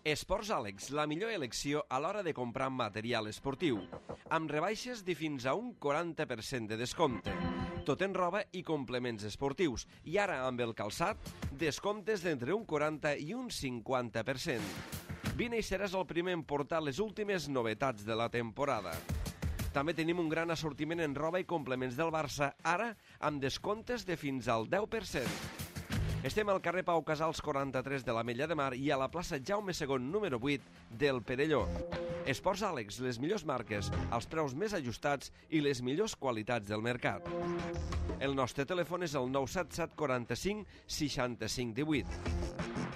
Esports Àlex, la millor elecció a l'hora de comprar material esportiu, amb rebaixes de fins a un 40% de descompte. Tot en roba i complements esportius, i ara amb el calçat, descomptes d'entre un 40 i un 50%. Vine i seràs el primer en portar les últimes novetats de la temporada. També tenim un gran assortiment en roba i complements del Barça, ara amb descomptes de fins al 10%. Estem al carrer Pau Casals 43 de l'Ametlla de Mar i a la plaça Jaume II número 8 del Perelló. Esports Àlex, les millors marques, els preus més ajustats i les millors qualitats del mercat. El nostre telèfon és el 977 45 65 18.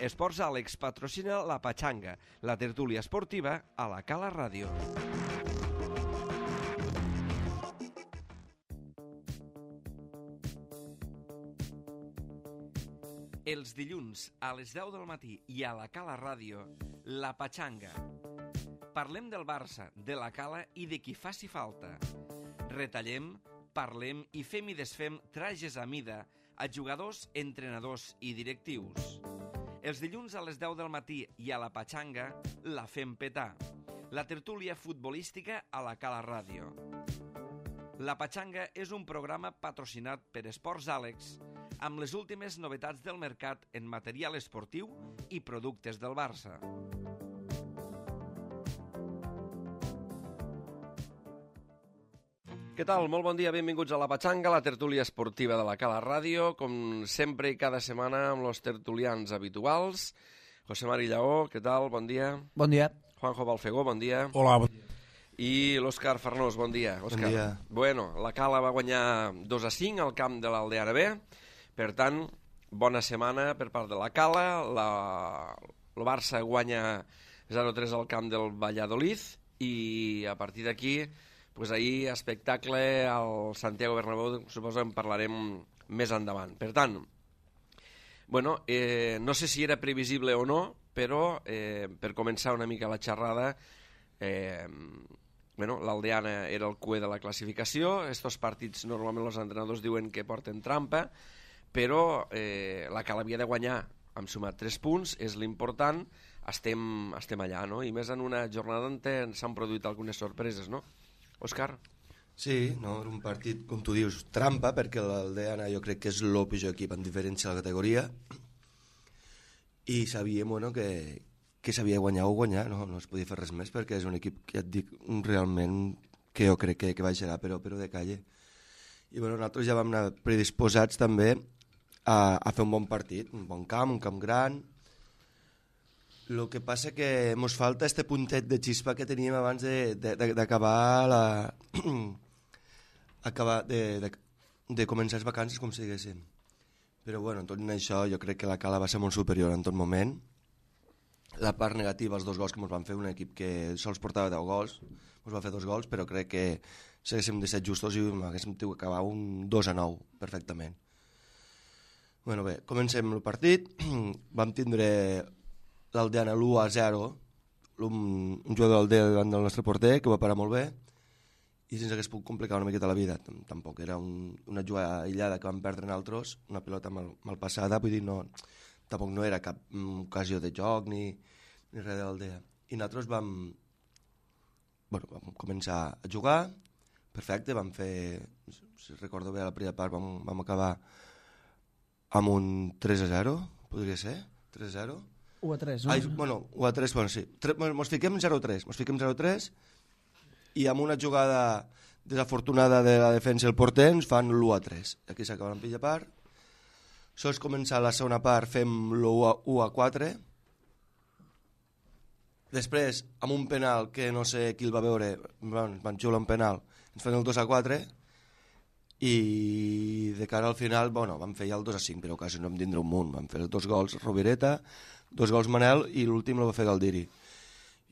Esports Àlex patrocina la Patxanga, la tertúlia esportiva a la Cala Ràdio. Els dilluns a les 10 del matí i a la Cala Ràdio, la Patxanga. Parlem del Barça, de la Cala i de qui faci falta. Retallem, parlem i fem i desfem trajes a mida a jugadors, entrenadors i directius. Els dilluns a les 10 del matí i a la Patxanga la fem petar. La tertúlia futbolística a la Cala Ràdio. La Patxanga és un programa patrocinat per Esports Àlex, amb les últimes novetats del mercat en material esportiu i productes del Barça. Què tal? Molt bon dia, benvinguts a la Patxanga, la tertúlia esportiva de la Cala Ràdio, com sempre i cada setmana amb els tertulians habituals. José Mari Lleó, què tal? Bon dia. Bon dia. Juanjo Balfegó, bon dia. Hola, bon dia. I l'Òscar Farnós, bon dia. Òscar. Bon dia. Bueno, la Cala va guanyar 2-5 al camp de l'Aldea B. Per tant, bona setmana per part de la Cala. El Barça guanya 0-3 al camp del Valladolid i a partir d'aquí, pues ahir espectacle al Santiago Bernabéu, suposo en parlarem més endavant. Per tant, bueno, no sé si era previsible o no, però per començar una mica la xerrada, bueno, l'Aldeana era el cué de la classificació. Estos partits normalment els entrenadors diuen que porten trampa, però la Cala havia de guanyar, hem sumat 3 punts, és l'important, estem allà, no? I més en una jornada on s'han produït algunes sorpreses, no? Òscar? Sí, no, era un partit, com tu dius, trampa, perquè l'Aldeana jo crec que és el pitjor equip en diferència de la categoria, i sabíem, bueno, que sabia guanyar o guanyar, no es podia fer res més, perquè és un equip que ja et dic realment que jo crec que baixarà, però de calle. I bueno, nosaltres ja vam anar predisposats també a fer un bon partit, un bon camp, un camp gran. El que passa que ens falta este puntet de xispa que teníem abans d'acabar de començar les vacances, com si diguéssim. Però bueno, en tot això jo crec que la Cala va ser molt superior en tot moment. La part negativa, els 2 gols que ens van fer, un equip que sols portava 10 gols, ens va fer 2 gols, però crec que si haguéssim de ser justos i haguéssim d'acabar un 2-9 perfectament. Bueno, bé, comencem el partit. Vam tindre l'Aldeana l'1-0, un jugador d'Aldea davant del nostre porter, que va parar molt bé, i ens hagués pogut complicar una miqueta la vida. Tampoc era una jugada aïllada que vam perdre en altres, una pilota mal passada, vull dir, tampoc no era cap ocasió de joc ni res de l'Aldea. I nosaltres vam començar a jugar, perfecte, vam fer, si recordo bé, la primera part vam acabar amb un 3-0, podria ser, 3-0. 1-3, no? Ai, bueno, 1-3, bueno, sí. Mos fiquem 0-3, i amb una jugada desafortunada de la defensa i el porter ens fan l'1-3. Aquí s'acaba la pitja part. Sols començar la segona part fem l'1-4. Després, amb un penal que no sé qui el va veure, van xiular un penal, ens fan el 2-4, i de cara al final, bueno, vam fer ja el 2-5, però quasi no vam tindre un munt. Vam fer 2 gols Rovireta, 2 gols Manel, i l'últim el va fer Galdiri.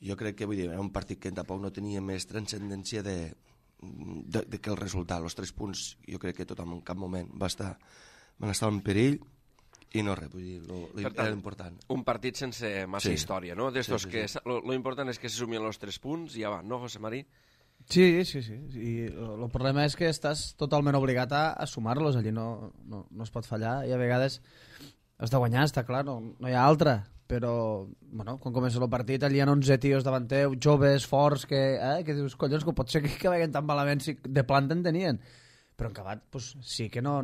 Jo crec que, vull dir, era un partit que tampoc no tenia més transcendència de que el resultat. Els 3 punts, jo crec que tothom en cap moment van estar en perill, i no res, vull dir, era important. Un partit sense massa història, no? D'estos que lo important és que se sumien els 3 punts i ja va, no, José Mari? Sí. I el problema és que estàs totalment obligat a sumar-los. Allí no es pot fallar i a vegades has de guanyar, està clar, no hi ha altra. però bueno, quan comença el partit allà hi ha 11 tios davant teu, joves, forts, que dius, collons, que pot ser que veguen tan malament si de planta en tenien. Però en acabat, pues, sí que no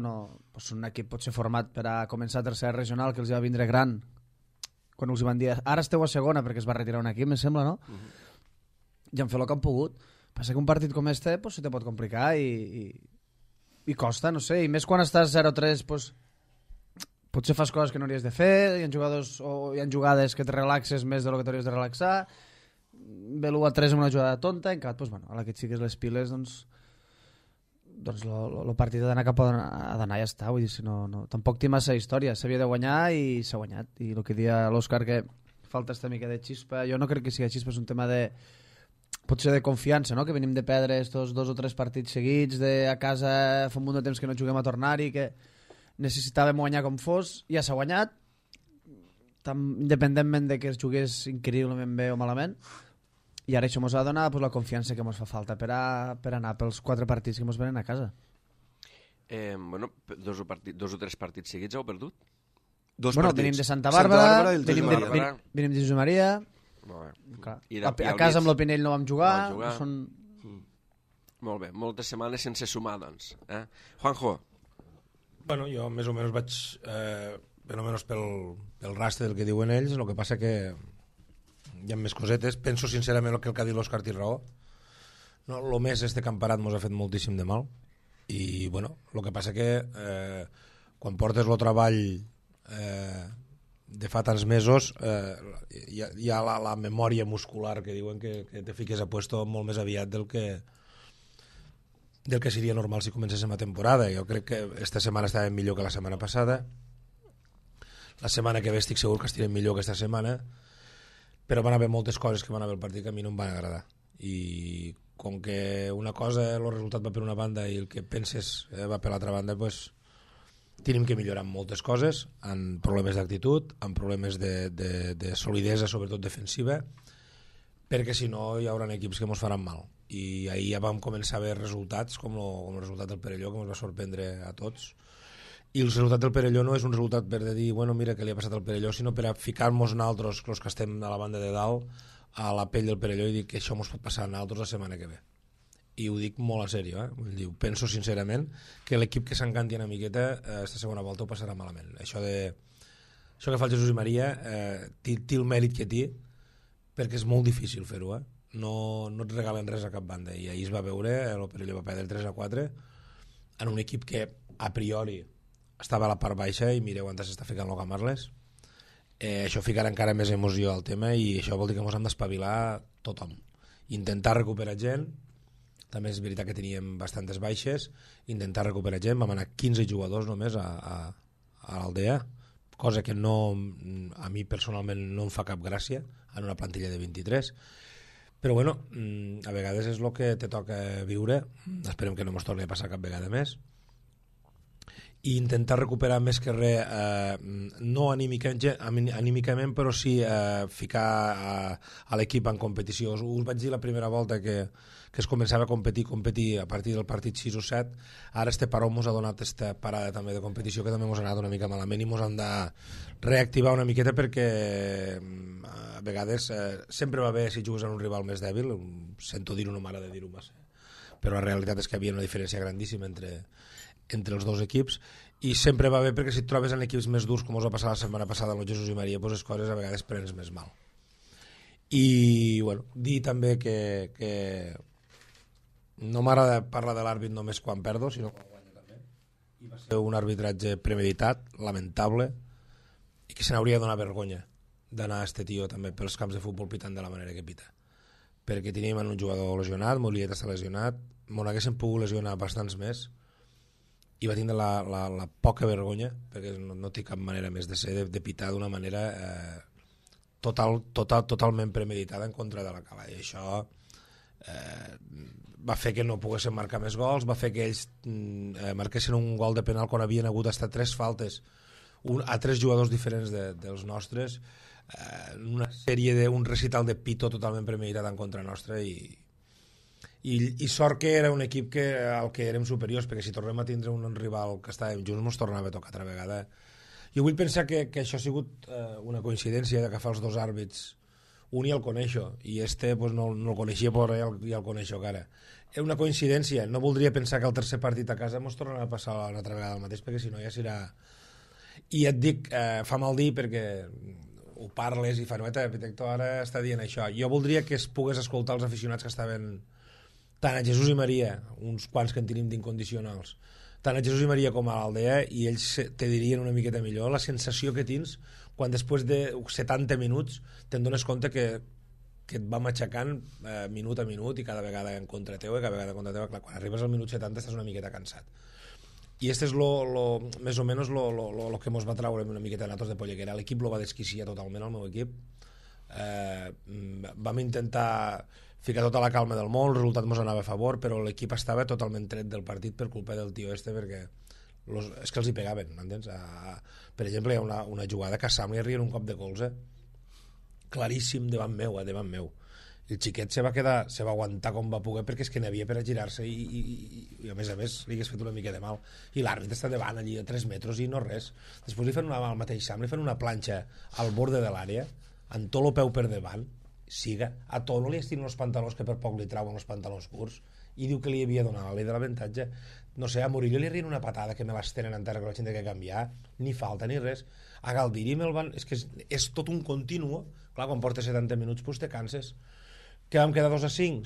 pues un equip pot ser format per a començar a tercera regional, que els va vindre gran, quan els van dir, ara esteu a segona, perquè es va retirar un equip, me sembla, no? I han fet el que han pogut. Passa que un partit com este pues, se te pot complicar i costa, no sé, i més quan estàs 0-3, pues, potser fas coses que no hauries de fer, hi ha jugades que te relaxes més de lo que t'hauries de relaxar, ve l'1-3 amb una jugada tonta, en acabat, pues, bueno, a la que et fiques les piles, doncs el partit ha d'anar cap a d'anar i ja està, vull dir, si no, tampoc té massa història, s'havia de guanyar i s'ha guanyat, i el que dia l'Òscar que falta esta mica de xispa, jo no crec que sigui xispa, és un tema de potser de confiança, no? Que venim de perdre estos 2 o 3 partits seguits, a casa fa un munt de temps que no juguem a tornar-hi, que necessitàvem guanyar com fos, ja s'ha guanyat, independentment de que es jugués increïblement bé o malament, i ara això ens ha de donar pues, la confiança que ens fa falta per anar pels 4 partits que ens venen a casa. Bueno, 2 o 3 partits seguits heu perdut? Venim de Santa Bàrbara, i venim de Josep Maria, a casa amb l'Opinell no vam jugar. Molt bé, moltes setmanes sense sumar, doncs. Juanjo? Bueno, jo més o menys vaig per almenys pel rastre del que diuen ells, el que passa que hi ha més cosetes. Penso sincerament que el que ha dit l'Òscar té raó. No, el més este camparat mos ha fet moltíssim de mal i bueno, el que passa que quan portes el treball de fa tants mesos hi ha la memòria muscular que diuen que te fiques a puesto molt més aviat del que seria normal si comencéssim la temporada. Jo crec que esta setmana estàvem millor que la setmana passada, la setmana que ve estic segur que estirem millor que esta setmana, però van haver moltes coses que van haver el partit que a mi no em van agradar, i com que una cosa el resultat va per una banda i el que penses va per l'altra banda, pues tenim que millorar en moltes coses, en problemes d'actitud, en problemes de solidesa, sobretot defensiva, perquè si no hi haurà equips que ens faran mal. I ahir ja vam començar a veure resultats com el resultat del Perelló, que ens va sorprendre a tots, i el resultat del Perelló no és un resultat per dir, bueno, mira què li ha passat al Perelló, sinó per a ficar-nos nosaltres, els que estem a la banda de dalt, a la pell del Perelló i dir que això ens pot passar a nosaltres la setmana que ve. I ho dic molt a sèrio, Vull dir, penso sincerament que l'equip que s'encanti una miqueta esta segona volta ho passarà malament. Això que fa el Jesús i Maria té el mèrit que té, perquè és molt difícil fer-ho, No et regalen res a cap banda, i ahir es va veure, el Perelló va perdre 3-4 en un equip que a priori estava a la part baixa i mireu on s'està ficant el Camarles. Això ficarà encara més emoció al tema i això vol dir que ens hem d'espavilar tothom, intentar recuperar gent. També és veritat que teníem bastantes baixes, intentar recuperar gent. Vam anar 15 jugadors només a l'Aldea, cosa que a mi personalment no em fa cap gràcia en una plantilla de 23, però bueno, a vegades és el que te toca viure. Esperem que no ens torni a passar cap vegada més, i intentar recuperar més que res, no anímicament, però sí ficar a l'equip en competició. Us vaig dir la primera volta que es començava a competir a partir del partit 6 o 7, ara este paró ens ha donat esta parada també de competició que també ens ha anat una mica malament i ens han de reactivar una miqueta, perquè a vegades sempre va bé si jugues en un rival més dèbil. Sento dir-ho, no m'agrada dir-ho massa, però la realitat és que hi havia una diferència grandíssima entre els dos equips, i sempre va bé perquè si et trobes en equips més durs, com us va passar la setmana passada amb el Jesús i Maria, doncs les coses a vegades prens més mal. I bueno, dir també que no m'agrada parlar de l'àrbit només quan perdo, sinó quan guanyo també, i va ser un arbitratge premeditat, lamentable, i que se n'hauria de donar vergonya d'anar a este tio també pels camps de futbol pitant de la manera que pita, perquè teníem un jugador lesionat, Moliet està lesionat, m'ho haguéssim pogut lesionar bastants més, i va tindre la poca vergonya, perquè no té cap manera més de ser, de pitar d'una manera totalment premeditada en contra de la Cala, i això va fer que no poguessin marcar més gols, va fer que ells marquessin un gol de penal quan havien hagut hasta 3 faltes a 3 jugadors diferents dels nostres, una sèrie d'un recital de pito totalment premeditat en contra nostra, i sort que era un equip al que érem superiors, perquè si tornem a tindre un rival que estàvem junts ens tornava a tocar altra vegada. Jo vull pensar que això ha sigut una coincidència d'agafar els dos àrbits. Un ja el coneixo, i pues, no el coneixia, però ja el coneixo encara. És una coincidència. No voldria pensar que el tercer partit a casa ens tornarà a passar una altra vegada el mateix, perquè si no ja serà... I et dic, fa mal dir perquè ho parles i fa noeta, l'arquitecte ara està dient això. Jo voldria que es pogués escoltar els aficionats que estaven tant a Jesús i Maria, uns quants que en tenim d'incondicionals, tant a Jesús i Maria com a l'Aldea, i ells te dirien una miqueta millor la sensació que tens quan després de 70 minuts te'n dones compte que et va matxacant minut a minut i cada vegada en contra teu i cada vegada en contra teu. Clar, quan arribes al minut 70 estàs una miqueta cansat. I este és més o menys lo que mos va traure una miqueta a nosaltres de Polleguera. L'equip lo va desquiciar totalment, el meu equip. Vam intentar ficar tota la calma del món, el resultat mos anava a favor, però l'equip estava totalment tret del partit per culpa del tio este, perquè és que els hi pegaven, m'entens? Per exemple, hi ha una jugada que a Sam li arrien un cop de colze claríssim davant meu. El xiquet se va aguantar com va poder, perquè és que n'hi havia per a girar-se i a més li hagués fet una mica de mal, i l'àrbit està davant allí a 3 metres i no res. Després li fan al mateix Sam, li fan una planxa al borde de l'àrea amb tot el peu per davant, a Tono li estiren els pantalons que per poc li trauen els pantalons curts, i diu que li havia donat la llei de l'avantatge. No sé, a Murillo li arrien una patada que me l'estenen en terra que la gent ha de canviar, ni falta ni res. A Galdiri me'l van... És que és tot un continuo. Clar, quan portes 70 minuts pues te canses. Que vam quedar 2-5?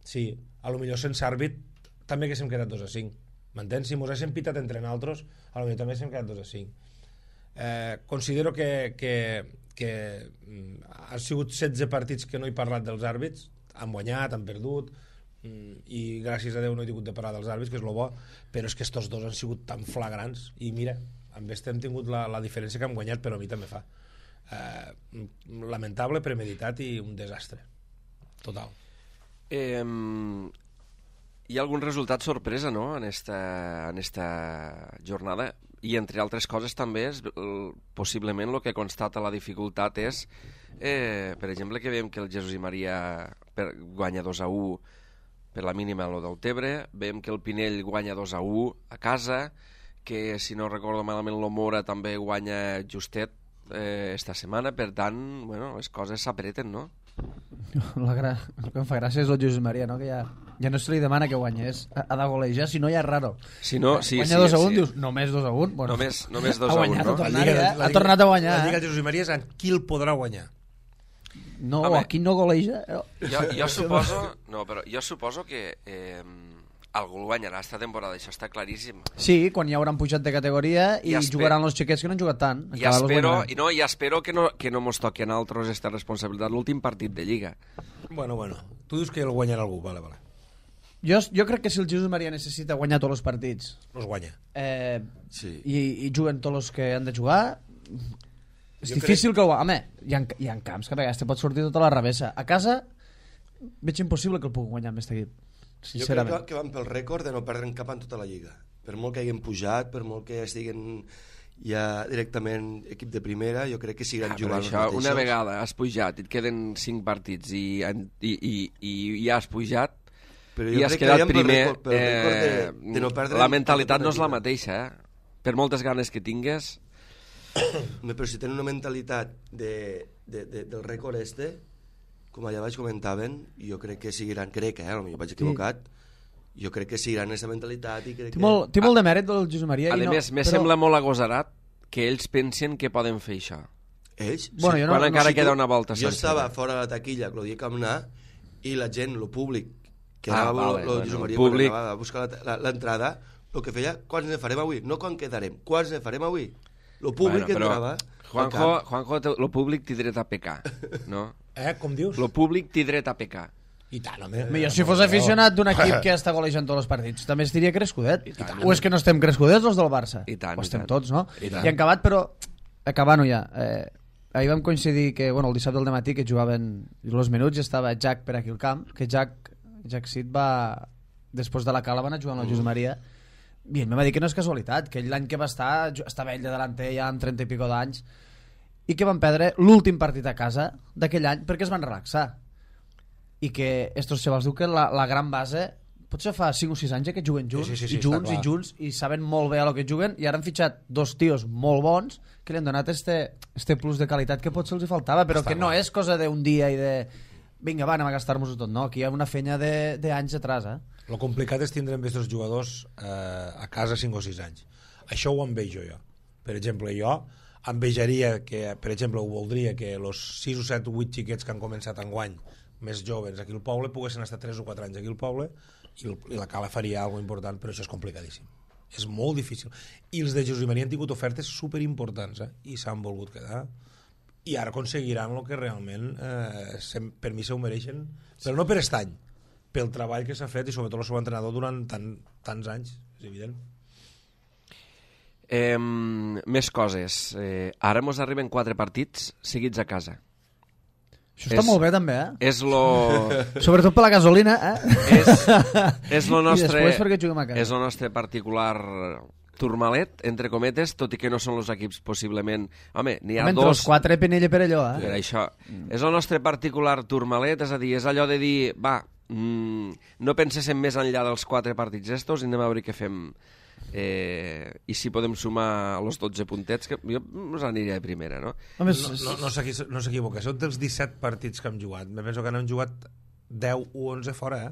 Sí. A lo millor sense àrbit també haguéssim quedat 2-5. M'entens? Si mos haguéssim pitat entre nosaltres, a lo millor també haguéssim quedat 2-5. Considero que han sigut 16 partits que no he parlat dels àrbits, han guanyat, han perdut, i gràcies a Déu no he tingut de parlar dels àrbits, que és lo bo, però és que estos dos han sigut tan flagrants, i mira, amb este hem tingut la diferència que hem guanyat, però a mi també fa lamentable, premeditat i un desastre total. Hi ha algun resultat sorpresa, no?, en esta jornada, i entre altres coses també possiblement el que constata la dificultat és per exemple que veiem que el Jesús i Maria guanya 2-1 per la mínima a lo del Tebre, veiem que el Pinell guanya 2-1 a casa, que si no recordo malament l'Omora també guanya justet esta setmana, per tant, bueno, les coses s'apreten, no? El que em fa gràcia és el Jesús Maria, no? Que ja no se li demana que guanyés, ha de golejar, si no ja és raro. Si no, guanya 2-1, dius, només 2-1? Bueno, només 2-1, no? Ha tornat a guanyar. La Lliga del Jesús Maria és en qui el podrà guanyar. No, aquí no goleja. Jo suposo que algú el guanyarà esta temporada, això està claríssim. Sí, quan ja hauran pujat de categoria i jugaran els xiquets que no han jugat tant. I espero que no mos toqui a nosaltres aquesta responsabilitat l'últim partit de Lliga. Bueno, tu dius que el guanyarà algú, vale. Jo crec que si el Jesús Maria necessita guanyar tots els partits, els guanya. Sí. I juguen tots els que han de jugar, és difícil que ho... Home, hi ha camps que a vegades te pot sortir tota la revessa. A casa veig impossible que el pugui guanyar amb aquest equip. Jo crec que van pel rècord de no perdre cap en tota la Lliga. Per molt que hagin pujat, per molt que estiguen ja directament equip de primera, jo crec que seguiran jugant els mateixos. Una vegada has pujat i et queden 5 partits i ja has pujat i has quedat primer, de no perdre, la mentalitat no és la mateixa, per moltes ganes que tingues. Però si tenen una mentalitat del rècord este, com allà baix comentaven, jo crec que seguiran, potser vaig equivocat, jo crec que seguiran aquesta mentalitat i crec que... Té molt de mèrit del Josep Maria. A més, me sembla molt agosarat que ells pensen que poden fer això. Ells? Bueno, sí, quan encara queda una volta sencera. Jo estava fora de la taquilla, Claudia Camnà, i la gent, el públic, que anava el Josep Maria, quan anava a buscar l'entrada, el que feia, quants ne farem avui? No quan quedarem, quants ne farem avui? El públic entrava... Juanjo, el públic té dret a pecar, no? Com dius? El públic té dret a pecar. I tant, jo si fos aficionat d'un equip que està golejant tots els partits també estaria crescudet. O és que no estem crescudets els del Barça? O estem tots, no? I han acabat, però acabant-ho ja, ahir vam coincidir que el dissabte al matí que jugaven els minuts i estava Jack per aquí al camp, que Jack Sid va després de la cala van a jugar amb el Josep Maria i ell me va dir que no és casualitat, que ell l'any que va estar estava ell de delanter ja amb 30 i pico d'anys i que van perdre l'últim partit a casa d'aquell any perquè es van relaxar i que estos xavals diu que la gran base potser fa 5 o 6 anys que juguen junts, Sí, i junts, i saben molt bé a lo que juguen, i ara han fitxat 2 tios molt bons que li han donat este plus de qualitat que potser els hi faltava, però que no és cosa d'un dia i de... Vinga, va, anem a gastar-nos-ho tot, no? Aquí hi ha una feina d'anys atrás, Lo complicat és tindre amb aquests jugadors a casa 5 o 6 anys. Això ho envejo jo. Per exemple, jo envejaria que, per exemple, ho voldria que els 6 o 7 o 8 xiquets que han començat enguany, més joves aquí al poble, poguessin estar 3 o 4 anys aquí al poble i la Cala faria alguna important, però això és complicadíssim. És molt difícil. I els de Jesús i Maria han tingut ofertes superimportants i s'han volgut quedar. I ara aconseguiran el que realment per mi se ho mereixen, però no per aquest any, pel treball que s'ha fet i sobretot el seu entrenador durant tants anys, és evident. Més coses. Ara mos arriben 4 partits seguits a casa. Això està molt bé també, Sobretot per la gasolina, És lo nostre, I després perquè juguem a casa. És el nostre particular turmalet, entre cometes, tot i que no són els equips possiblement... Home, n'hi ha entre dos... els 4 Penella per allò, Per això. És el nostre particular turmalet, és a dir, és allò de dir, va, no penséssim més enllà dels 4 partits estos i anem a veure què fem. I si podem sumar els 12 puntets, que jo us aniria de primera, no? No s'equivoca, són dels 17 partits que hem jugat. Me penso que n'hem jugat 10 o 11 fora,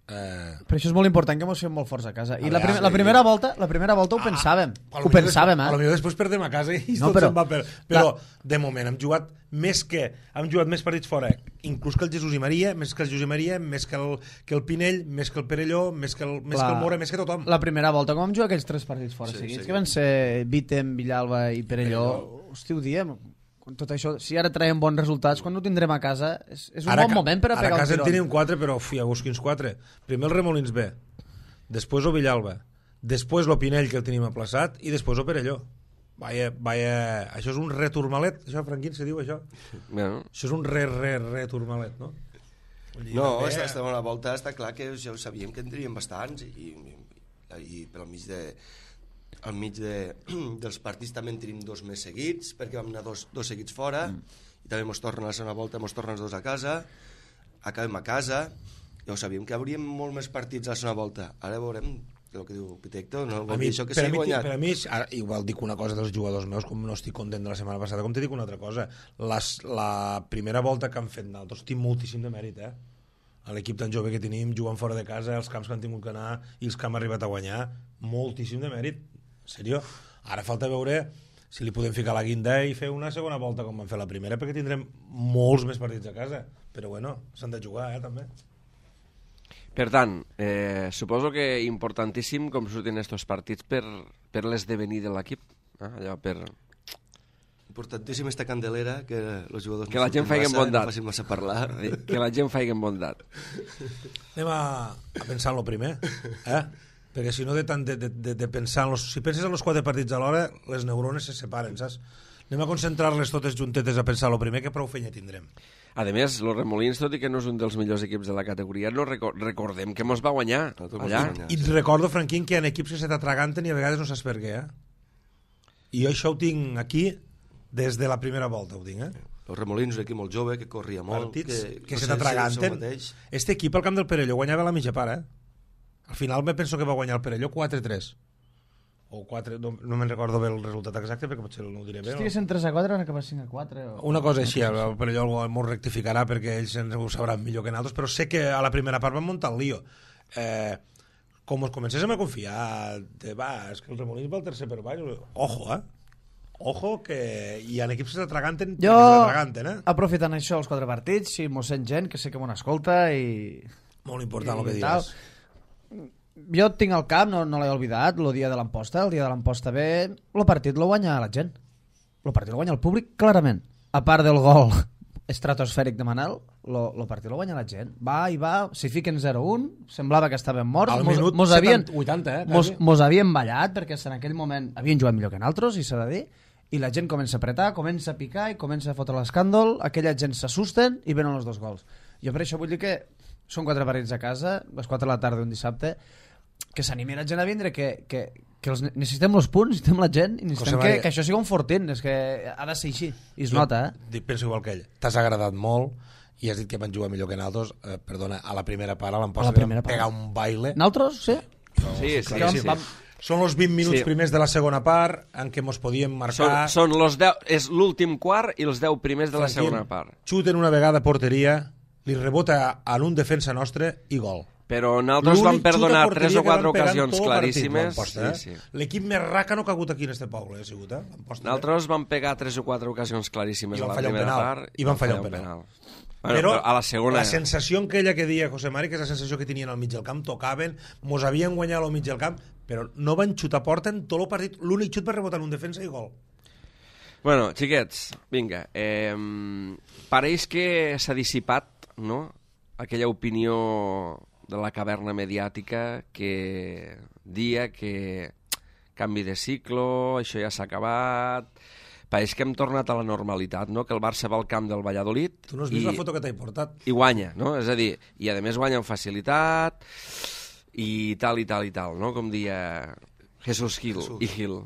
Però això és molt important, que mos fem molt forts a casa. I la primera volta ho pensàvem. Ho pensàvem, A lo millor després perdem a casa i No, tot se'n va per... Però, de moment, hem jugat més partits fora, inclús que el Jesús i Maria, més que el Jesús i Maria, més que el Pinell, més que el Perelló, més que el Mora, més que tothom. La primera volta, com vam jugar aquells 3 partits fora seguits, que van ser Vítem, Villalba i Perelló, hosti, ho diem, tot això, si ara traiem bons resultats, quan ho tindrem a casa, és un bon moment per a pegar un tirón. Ara a casa en tenim 4, però hi ha quins 4. Primer el Remolins B, després el Villalba, després el Pinell, que el tenim aplaçat, i després el Perelló. Això és un returmalet, això, Franquín, se diu això? Bueno. Això és un returmalet, no? No, esta segona volta està clar que ja ho sabíem que en teníem bastants i per al mig dels partits també en tenim 2 més seguits, perquè vam anar dos seguits fora, i també mos tornen a la segona volta, mos tornen els 2 a casa, acabem a casa, ja ho sabíem que hauríem molt més partits a la segona volta. Ara veurem el que diu Pitecto, no vol dir això que s'ha guanyat. Per a mi, igual dic una cosa dels jugadors meus, com no estic content de la setmana passada, com te dic una altra cosa. La primera volta que han fet nosaltres tinc moltíssim de mèrit, a l'equip tan jove que tenim, jugant fora de casa, els camps que han tingut que anar i els que hem arribat a guanyar, moltíssim de mèrit. Seriós. Ara falta veure si li podem ficar la guinda i fer una segona volta com vam fer la primera, perquè tindrem molts més partits a casa, però bueno, s'han de jugar, també. Per tant, suposo que importantíssim com surtin estos partits per l'esdevenir de l'equip, allò per... Importantíssim esta candelera, que els jugadors que la gent faci bondat. No facin massa parlar. Que la gent faci bondat. Anem a pensar en lo primer, perquè si no de tant de pensar si penses en els 4 partits alhora, les neurones se separen, saps? Anem a concentrar-les totes juntetes a pensar el primer, que prou feina tindrem. A més, los Remolins, tot i que no és un dels millors equips de la categoria, no recordem que mos va guanyar allà. I et recordo, Franquín, que hi ha equips que se t'atraganten i a vegades no saps per què, I jo això ho tinc aquí des de la primera volta, ho tinc, Els Remolins, un equip molt jove, que corria molt, partits que se t'atraganten. Este equip, al camp del Perelló, guanyava la mitja part, Al final me penso que va guanyar el Perelló 4-3. O 4, no me'n recordo bé el resultat exacte, perquè potser no ho diré bé. Si estiguessin 3-4, van acabar 5-4. Una cosa així, el Perelló m'ho rectificarà perquè ells ho sabran millor que nosaltres, però sé que a la primera part van muntar el lío. Com us comencéssim a confiar, és que el Remolins va al tercer per baix, ojo, que hi ha equips que s'atraganten. Jo, aprofitant això, els 4 partits, si mos sent gent, que sé que m'ho escolta i... Molt important el que diràs. Jo tinc al cap, no l'he oblidat, el dia de l'Amposta, B, el partit lo guanya la gent. El partit lo guanya el públic, clarament. A part del gol estratosfèric de Manel, el partit lo guanya la gent. Va, s'hi fiquen 0-1, semblava que estaven morts. Al minut 80, mos havien ballat, perquè en aquell moment havien jugat millor que nosaltres, i s'ha de dir, i la gent comença a apretar, comença a picar i comença a fotre l'escàndol, aquella gent s'assusten i venen els 2 gols. Jo per això vull dir que són 4 partits a casa, les 4 de la tarda un dissabte, que s'animi la gent a vindre, que necessitem els punts, necessitem la gent, i necessitem que això sigui un fortín, és que ha de ser així, i es nota, Penso igual que ell, t'has agradat molt, i has dit que van jugar millor que nosaltres, perdona, a la primera part a l'Amposta primera van pegar un baile. Nosaltres, sí? Sí. Són els 20 minuts primers de la segona part en què mos podíem marcar. Són los 10, és l'últim quart i els 10 primers de la segona part. Xuten una vegada a porteria, li rebota en un defensa nostre i gol. Però nosaltres vam perdonar 3 o 4 ocasions tot claríssimes. Partit, L'equip més racano que ha hagut aquí en este poble, ha sigut, Nosaltres vam pegar 3 o 4 ocasions claríssimes a la primera part. I van fallar un penal. Bueno, però a la segona... la sensació aquella que deia José Mari, que és la sensació que tenien al mig del camp, tocaven, mos havien guanyat al mig del camp, però no van xutar porta en tot el partit. L'únic xut va rebotar en un defensa i gol. Bueno, xiquets, vinga. Pareix que s'ha dissipat, no?, aquella opinió de la caverna mediàtica que dia que canvi de ciclo, això ja s'ha acabat... Pareix que hem tornat a la normalitat, no?, que el Barça va al camp del Valladolid... Tu no has vist la foto que t'he portat? I guanya, no? És a dir, i a més guanya amb facilitat i tal, no?, com dia Jesús Gil i Gil.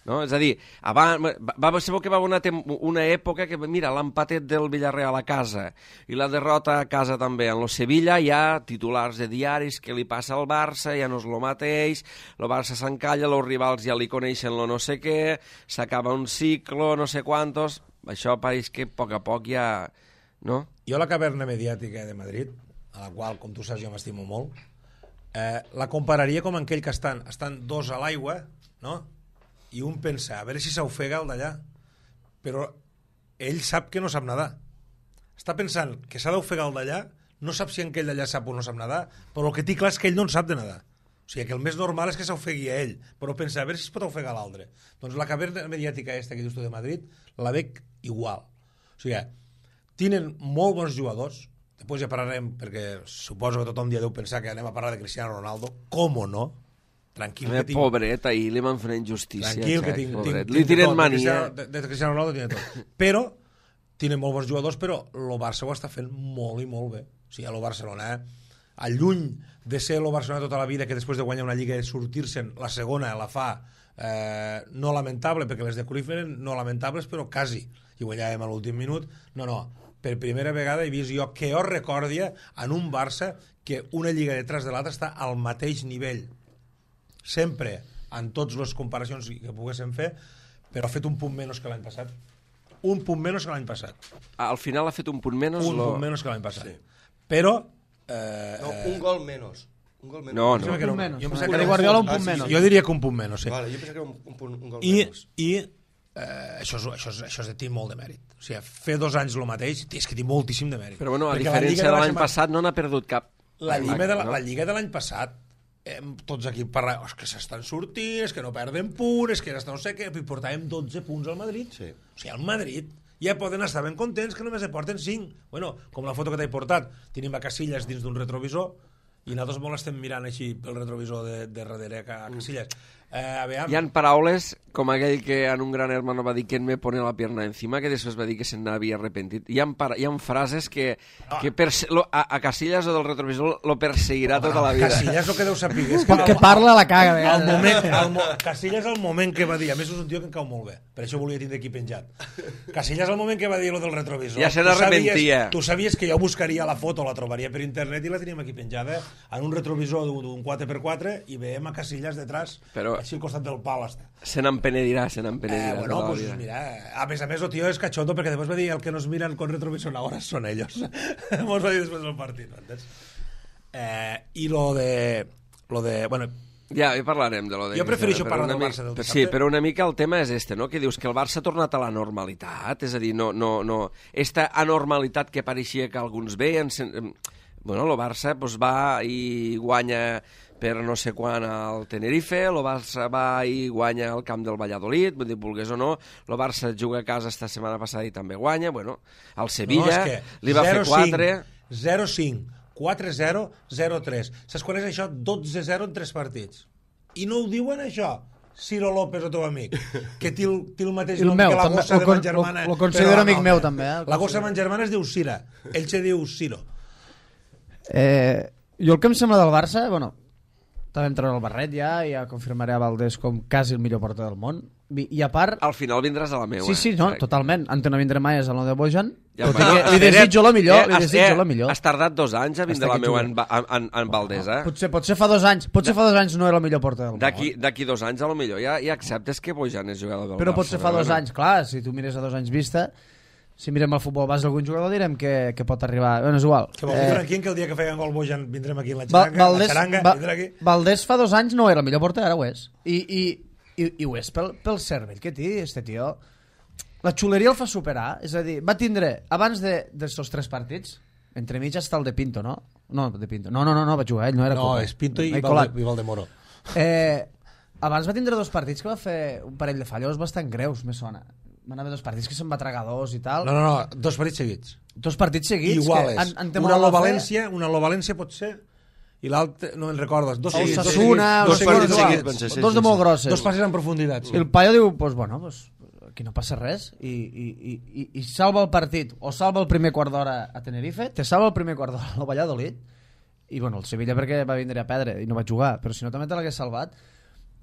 No? És a dir, va ser que va haver una època que, mira, l'empatet del Villarreal a casa i la derrota a casa també. En lo Sevilla hi ha titulars de diaris que li passa al Barça, ja no és lo mateix, el Barça s'encalla, els rivals ja li coneixen lo no sé què, s'acaba un ciclo, no sé quantos... Això pareix que a poc ja... No? Jo la caverna mediàtica de Madrid, a la qual, com tu saps, jo m'estimo molt, la compararia com aquell que estan dos a l'aigua, no?, i un pensa, a veure si s'ofega el d'allà, però ell sap que no sap nedar. Està pensant que s'ha d'ofegar el d'allà, no sap si aquell d'allà sap o no sap nedar, però el que té clar és que ell no en sap de nedar. O sigui, que el més normal és que s'ofegui a ell, però pensa, a veure si es pot ofegar l'altre. Doncs la caverna mediàtica aquesta que dius tu de Madrid, la veig igual. O sigui, tenen molt bons jugadors, després ja parlarem, perquè suposo que tothom ja deu pensar que anem a parlar de Cristiano Ronaldo, com o no, tranquil que tinc... Pobret, ahir li van fer injustícia. Tranquil, que tinc li tiren mania. De Cristiano Ronaldo tiene tot. Però, tienen molt bons jugadors, però el Barça ho està fent molt i molt bé. O sigui, el Barcelona, lluny de ser el Barcelona tota la vida, que després de guanyar una lliga i sortir-se'n, la segona la fa no lamentable, perquè les de Cruyff eren no lamentables, però quasi. I guanyàvem a l'últim minut. No, per primera vegada he vist jo que jo recordia en un Barça que una lliga detrás de l'altra està al mateix nivell. Sempre, en totes les comparacions que poguéssim fer, però ha fet un punt menys que l'any passat. Un punt menys que l'any passat. Al final ha fet un punt menys? Punt menys que l'any passat. Sí. Però... no, un gol menys. Un gol menys. No. Un punt menys. Jo pensava que Guardiola un punt menys. Jo diria que un punt menys, sí. Vale, jo pensava que era un gol menys. I això és de tinc molt de mèrit. O sigui, fer 2 anys el mateix, és que té moltíssim de mèrit. Però bueno, a diferència de l'any passat no n'ha perdut cap. La lliga de l'any passat, tots aquí parlem, és que s'estan sortint, és que no perden punts, és que no sé què, i portàvem 12 punts al Madrid. Sí. O sigui, al Madrid ja poden estar ben contents que només porten 5. Bueno, com la foto que t'he portat, tenim a Casillas dins d'un retrovisor i nosaltres molt estem mirant així pel retrovisor de darrere a Casillas. Hi ha paraules com aquell que en un gran hermano va dir que me pone la pierna encima, que després va dir que se'n havia arrepentit. Hi ha frases que a Casillas o del retrovisor lo perseguirà tota la vida. Casillas el que deu saber és que parla la caga a vegades. Casillas el moment que va dir, a més és un tio que em cau molt bé, per això volia tindre aquí penjat. Casillas el moment que va dir lo del retrovisor, ja se n'arrepentia. Tu sabies que jo buscaria la foto, la trobaria per internet i la teníem aquí penjada en un retrovisor d'un 4x4 i veiem a Casillas detrás, així al costat del pal està. Se n'empenedirà. Bueno, pues mira, a més, el tio és cachondo perquè després va dir el que nos miran con retrovisor ahora son ellos. Mos va dir després del partit, entens? I lo de... Bueno, ja parlarem de lo de... Jo prefereixo parlar del Barça del dissabte. Sí, però una mica el tema és este, no? Que dius que el Barça ha tornat a la normalitat, és a dir, no. Esta anormalitat que pareixia que alguns veien... Bueno, el Barça pues, va i guanya per no sé quan al Tenerife, el Barça va i guanya al camp del Valladolid, vull dir, vulgués o no, el Barça juga a casa esta setmana passada i també guanya, bueno, al Sevilla li va fer 4... 0-5, 4-0, 0-3. Saps quan és això? 12-0 en 3 partits. I no ho diuen això, Ciro López, el teu amic, que té el mateix nom que la gossa de ma germana. Lo considero amic meu, també. La gossa de ma germana es diu Cira, ell se diu Ciro. Jo el que em sembla del Barça, bueno, també em treure el barret ja confirmaré a Valdés com quasi el millor porter del món. I a part... Al final vindràs a la meva. Sí, no, totalment. Ante no vindré mai és el nou de Bojan. Ja, Li desitjo la millor, li desitjo la millor. Has tardat 2 anys a vindre a la meva en Valdés, eh? Potser fa 2 anys. Potser fa 2 anys no era el millor porter del món. D'aquí 2 anys, a lo millor, ja acceptes que Bojan és jugador del Barça. Però potser fa 2 anys, clar, si tu mires a 2 anys vista, si mirem el futbol base d'algun jugador direm que pot arribar. Bueno, és igual. Que vol dir, Franquín, que el dia que feien gol Bojan vindrem aquí en la xaranga, vindrem aquí. Valdés fa 2 anys no era el millor porter, ara ho és. I ho és pel cervell que té, este tio. La xuleria el fa superar, és a dir, va tindre, abans d'estos 3 partits, entre mig està el de Pinto, no? No, de Pinto. No, va jugar ell, no era No, Copa. és Pinto i Valdemoro. Abans va tindre 2 partits que va fer un parell de fallos bastant greus, me sona. Van haver 2 partits que se'n va tragar 2 i tal. No, 2 partits seguits. 2 partits seguits. Iguales. Una a lo València pot ser, i l'altre, no me'n recordes. 2 seguits. Osasuna, 2 partits seguits. 2 de molt grosses. 2 passes en profunditat. I el paio diu, pues bueno, aquí no passa res, i salva el partit, o salva el primer quart d'hora a Tenerife, te salva el primer quart d'hora al Valladolid, i bueno, el Sevilla perquè va vindre a perdre i no va jugar, però si no també te l'hagués salvat.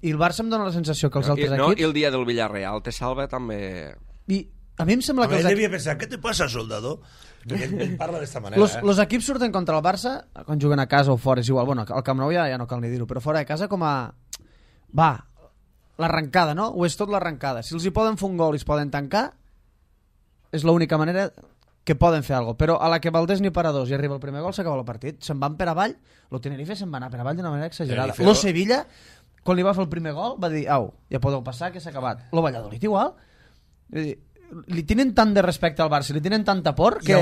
I el Barça em dona la sensació que els altres equips... I el dia del Villarreal te salva també... I a mi em sembla que... Ell devia pensar, què te passa, soldador? Perquè ell parla d'esta manera. Los equips surten contra el Barça, quan juguen a casa o fora, és igual, bueno, al Camp Nou ja no cal ni dir-ho, però fora de casa com a... Va, l'arrencada, no? Ho és tot l'arrencada. Si els hi poden fer un gol i es poden tancar, és l'única manera que poden fer alguna cosa. Però a la que Valdés ni para 2 i arriba el primer gol, s'acaba el partit. Se'n van per avall, lo Tenerife se'n va anar per avall d'una manera exagerada. Lo Sevilla, quan li va fer el primer gol, va dir, au, ja podeu passar, que s'ha acabat. Lo Valladolid igual. Li tenen tant de respecte al Barça, li tenen tanta por, que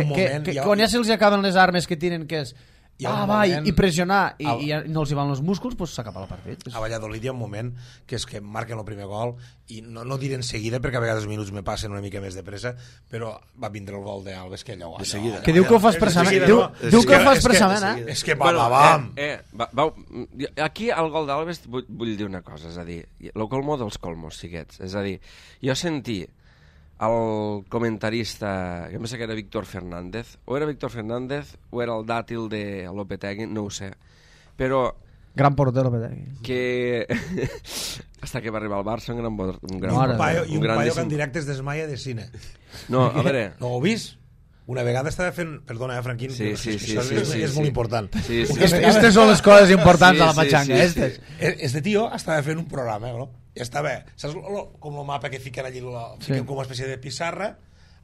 quan ja se'ls acaben les armes que tenen, que és i pressionar i no els hi van els músculs, doncs s'acaba el partit. A Valladolid hi ha un moment que és que marquen el primer gol i no diré en seguida perquè a vegades els minuts me passen una mica més de pressa, però va vindre el gol d'Alves que allò... Que diu que ho fa expressament. Diu que ho fa expressament, És que vam! Aquí al gol d'Alves vull dir una cosa, és a dir, el colmo dels colmos, siguets. És a dir, jo sentí el comentarista, que em pensa que era Víctor Fernández, o era Víctor Fernández o era el dàtil de Lopetegui, no ho sé, però... Gran porter Lopetegui. Que... Hasta que va arribar al Barça, un paio que en directe es desmaia de cine. No, a veure... No ho heu vist? Una vegada estava fent... Perdona, Franquín, sí, és molt important. Aquestes són les coses importants de la patxanga. Este tio estava fent un programa, no? I estava, saps com el mapa que fiquen allí, fiquen com una espècie de pissarra,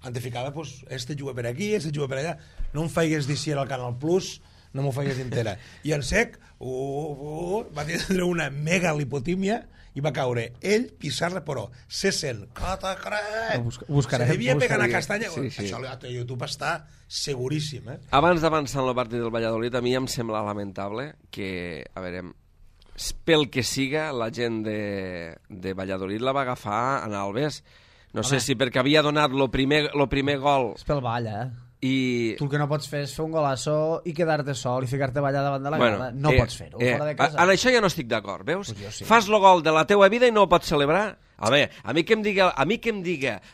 han de ficar, pues, este juga per aquí, este juga per allà, no em faigues dir si era el Canal Plus, no m'ho faigues entera. I en sec, va tindre una mega lipotímia i va caure ell, pissarra, però se sent, se devia pegar una castanya. Això a YouTube està seguríssim. Abans d'avançar en el partit del Valladolid, a mi em sembla lamentable que, a veure, pel que siga, la gent de Valladolid la va agafar en Alves. No sé si perquè havia donat el primer gol... És pel ball, I... Tu el que no pots fer és fer un golasso i quedar-te sol i ficar-te a ballar davant de la grada. No pots fer-ho, fora de casa. En això ja no estic d'acord, veus? Pues sí. Fas el gol de la teua vida i no ho pots celebrar? A mi que em diga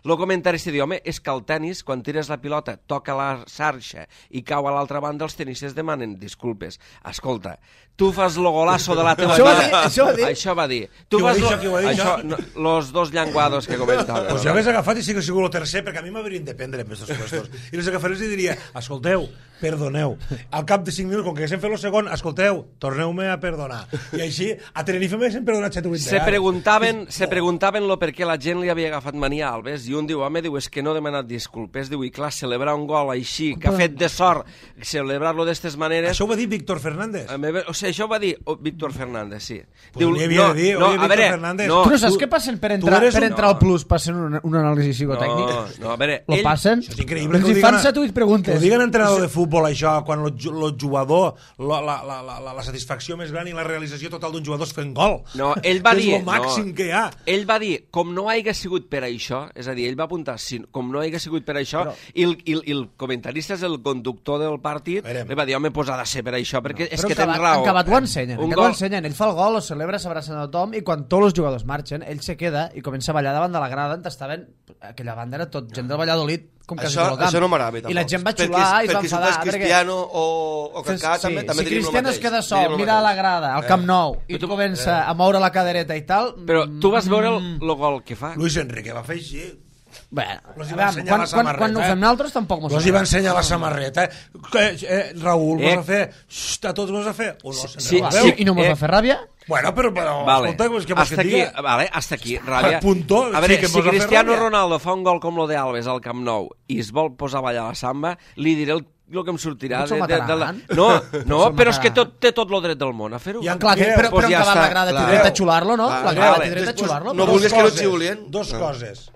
el comentarista diu, home, és que el tennis, quan tires la pilota, toca la xarxa i cau a l'altra banda, els tenistes demanen disculpes. Escolta, tu fas el golasso de la teva vida... Això va dir. Tu fas los dos llenguados que comentaven. Pues jo hagués agafat i sí que sigut el tercer, perquè a mi m'haurien de prendre amb aquests puestos. I els agafarés i diria, escolteu, perdoneu. Al cap de 5 minuts, com que haguéssim fet el segon, escolteu, torneu-me a perdonar. I així, a Tenerife m'haguéssim perdonat 7 o 8 vegades. Se preguntaven lo per què la gent li havia agafat mania a Alves, i un diu, home, és que no ha demanat disculpes, diu, i clar, celebrar un gol així, que ha fet de sort, celebrar-lo d'estes maneres... Això ho va dir Víctor Fernández? O sigui, això ho va dir Víctor Fernández, sí. Pues diu, havia de dir, Víctor Fernández... Tu no saps què passen per entrar al Plus, passen un anàlisi psicotècnic? No, a veure... Lo passen? Això és increïble. Els hi fan 7 o 8 preguntes. Que ho diguen entrenador de futbol, això, quan el jugador, la satisfacció més gran i la realització total d'un jugador és fent gol. No, ell va dir... És el màxim que hi ha. Ell va dir, com no hagi sigut per això, és a dir, ell va apuntar, com no hagi sigut per això, i el comentarista és el conductor del partit, li va dir, home, pues ha de ser per això, perquè és que tens raó. En acabat ho ensenyen, ell fa el gol, ho celebra, s'abraça a tothom, i quan tots els jugadors marxen, ell se queda i comença a ballar davant de la grada on estaven, aquella banda era tot gent del Valladolid, com quasi Això, tot el camp. això no m'agrada tampoc. I la gent va xular i es va perquè enfadar. si fes Cristiano o Kaká, també si diríem el Cristiano es mateix. queda sol, mira a la grada, al Camp Nou, i tu comença a moure la cadereta i tal... Però tu vas veure el gol que fa? Luis Enrique va fer així. Bé, Los hi va ensenyar la samarreta, quan ho fem nosaltres tampoc mos Los hi va ensenyar la samarreta. Raül, mos va fer... A tots mos va fer... O no, Sí, Sí, i no mos va fer ràbia? Bueno, però Vale. escolta, què vols que Hasta et aquí, diga? vale, hasta aquí, ràbia. Punto, A veure, sí que si mos va fer Cristiano ràbia. Ronaldo fa un gol com lo de Alves al Camp Nou i es vol posar a ballar la samba, li diré el que em sortirà Potser el mataran. No, però és que té tot el dret del món a fer-ho. Ja Clar, però Pues en ja acabat està. la grada té Clar. dret a xular-lo, no? Clar, La grada vale. té dret a Després xular-lo. no però- vulguis que no et xiulien. Dos coses.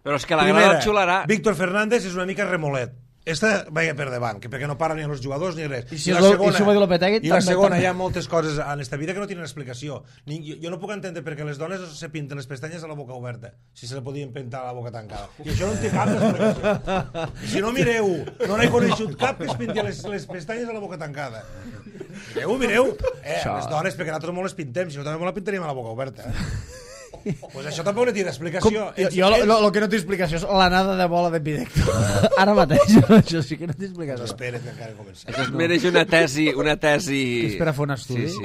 Però és que la grada el xularà. Víctor Fernández és una mica remolet. Esta vaya per davant, que perquè no para ni els jugadors ni res. I si ho va dir Lopetegui, I la també, segona, també. hi ha moltes coses en esta vida que no tenen explicació. Jo no puc entendre perquè les dones se pinten les pestanyes a la boca oberta, si se le podien pintar a la boca tancada. I això no en té cap d'explicació. I si no mireu, no n'he coneixut cap que es pinti les pestanyes a la boca tancada. Mireu. Les dones, perquè nosaltres molt les pintem, si no també molt la pintaríem a la boca oberta. Pues això tampoc no té explicació. Jo el que no té explicació és l'anada de bola de Pidecto. Ara mateix, això sí que no té explicació. Espera't que encara he començat. Això es mereix una tesi... Que espera fer un estudi. Sí.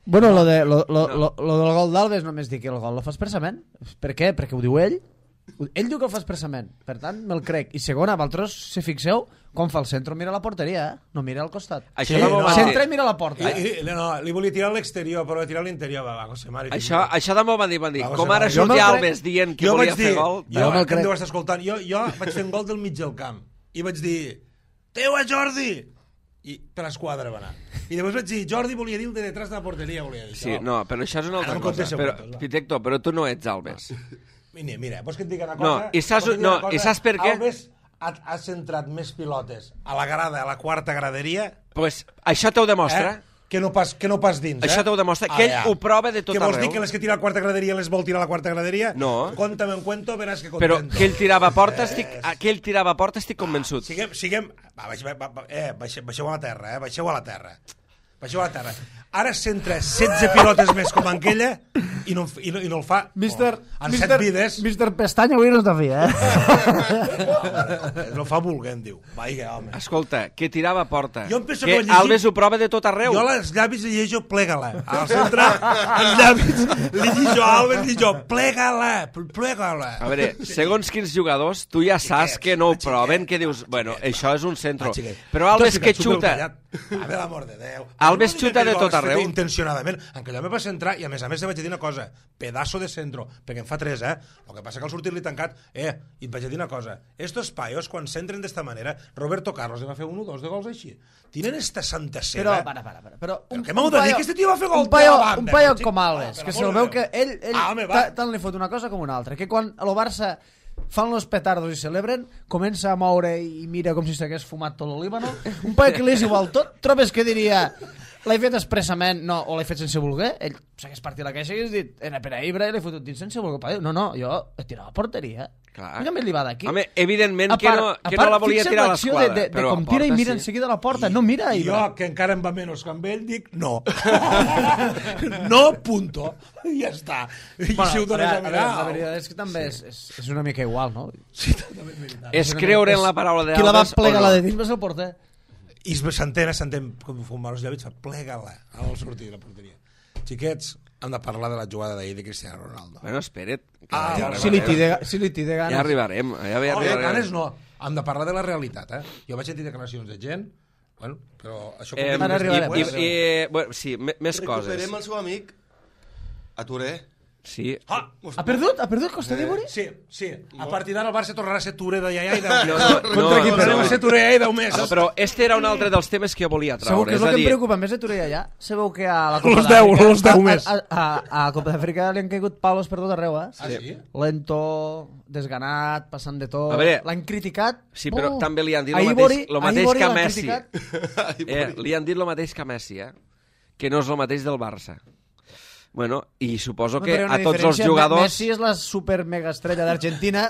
Bueno, lo del gol d'Alves només dic que el gol lo fa expressament. Per què? Perquè ho diu ell. Ell diu que el fa expressament. Per tant, me'l crec. I segona, vosaltres, si fixeu, quan fa el centre mira a la porteria, no mira al costat. Això no m'ho va Centra dir. i mira a la porta. Li volia tirar a l'exterior, però va tirar a l'interior. Va, José Mari. Això també m'ho van dir. Va, Com José ara Mari. surt Jo me'l Alves crec. dient que Jo volia vaig fer dir, gol... Jo me'l que em crec. deu estar escoltant, jo vaig fer un gol del mig del camp i vaig dir, teua Jordi, i per l'esquadra va anar. I després vaig dir, Jordi volia dir el de detrás de la porteria, volia dir. Sí, no, però això és una altra Ara em cosa. contesta Però, puntos, va. Pitecto, però tu no ets Alves. Mira, vols que et digui una No, cosa? i saps- Vols que et digui no, una cosa? i saps per què? Alves ha centrat més pilotes a la grada, a la quarta graderia, Pues això t'ho demostra. que no pas dins. Això t'ho demostra, que ell ho prova de tot Què vols dir, arreu. que les que tira a la quarta graderia les vol tirar a la quarta graderia? No. Compta'm en cuento, veràs que Però contento. que ell tirava a porta, estic convençut. Siguem... Baixeu a la terra, baixeu a la terra. Baixeu a la terra. Ara centra 16 pilotes més com aquella i no el fa en 7 vides. Mister Pestanya avui no està fi, No fa volent, diu. Vaja, home. Escolta, que tirava a porta. Jo em penso que que ho llegit- Alves ho prova de tot arreu. Jo als llavis li llegeixo plega-la. Al centre, als llavis li llegeixo a Alves, li llegeixo plega-la. A veure, segons quins jugadors, tu ja saps que no ho proven, que dius, bueno, això és un centro. Però Alves que xuta... A veure, l'amor de Déu. Alves No dic xuta que de jo tot l'hagués fet arreu. Intencionadament. En aquell home va centrar i a més te vaig dir una cosa. Pedazo de centro. Perquè en fa 3, El que passa que al sortir-li tancat... I et vaig dir una cosa. Estos paios, quan centren d'esta manera, Roberto Carlos li va fer 1 o 2 de gols així. Tienen esta santa seva... Però, Però què m'heu de dir? Que este tio va fer gol un paio, de la banda, un paio xic. com Alves, Per que l'amor se'l de veu Déu. que ell home, va. tant li fot una cosa com una altra, que quan a lo Barça fan los petardos i celebren, comença a moure i mira com si s'hagués fumat tot l'Olíbano. Un paio que li és igual tot, trobes que diria l'he fet expressament, no, o l'he fet sense voler, ell s'hagués partit la queixa i hagués dit, era per a Ibra i l'he fotut dins sense voler. Paio, no, jo he tirat a porteria. Clar. Només li va d'aquí. Home, evidentment que no la volia fixa't tirar a l'acció l'esquadra. de però com a tira i porta mira sí. enseguida la porta, no mira a I Ibra. jo, que encara em va menys que amb ell, dic no. No, punto. I ja està. I si ho dones a mirar... La veritat és que també és una mica igual, no? Sí, també és veritat. És creure en la paraula Qui la va d'Alves plegar o la no? de dins va ser el porter. I s'entén, com fumar els llavis, plega-la al sortir de la porteria. Xiquets, hem de parlar de la jugada d'ahir de Cristiano Ronaldo. Bueno, espera't. que Ah, ja Si li té ganes. Ja arribarem. Ja No, arribarem. ganes no. Hem de parlar de la realitat, Jo vaig sentir declaracions de gent, bueno, però això... Ara arribarem. Bueno, sí, més coses. Recuperem el seu amic a Touré. Sí. Ah, Ha perdut? Ha perdut Costa d'Ivori? sí. A partir d'ara el Barça tornarà a ser Touré de iaia i de... Contra qui Tornarem a ser Touré i de més. No, però este era un altre dels temes que jo volia Segur traure. que és És el a que em dir, preocupa més de Torella allà. Sabeu que a la Copa Los 10, d'Àfrica... los 10 més. A Copa d'Àfrica li han caigut palos per tot arreu, Ah, sí? Lento, desganat, passant de tot... A veure, l'han criticat... sí, però també li han dit a lo Ivori- mateix, lo a mateix Ivori que a l'han Messi. criticat. Li han dit lo mateix que a Messi, que no és el mateix del Barça. Bueno, i suposo que Però hi ha una a tots els diferència. jugadors... Messi és la super mega estrella d'Argentina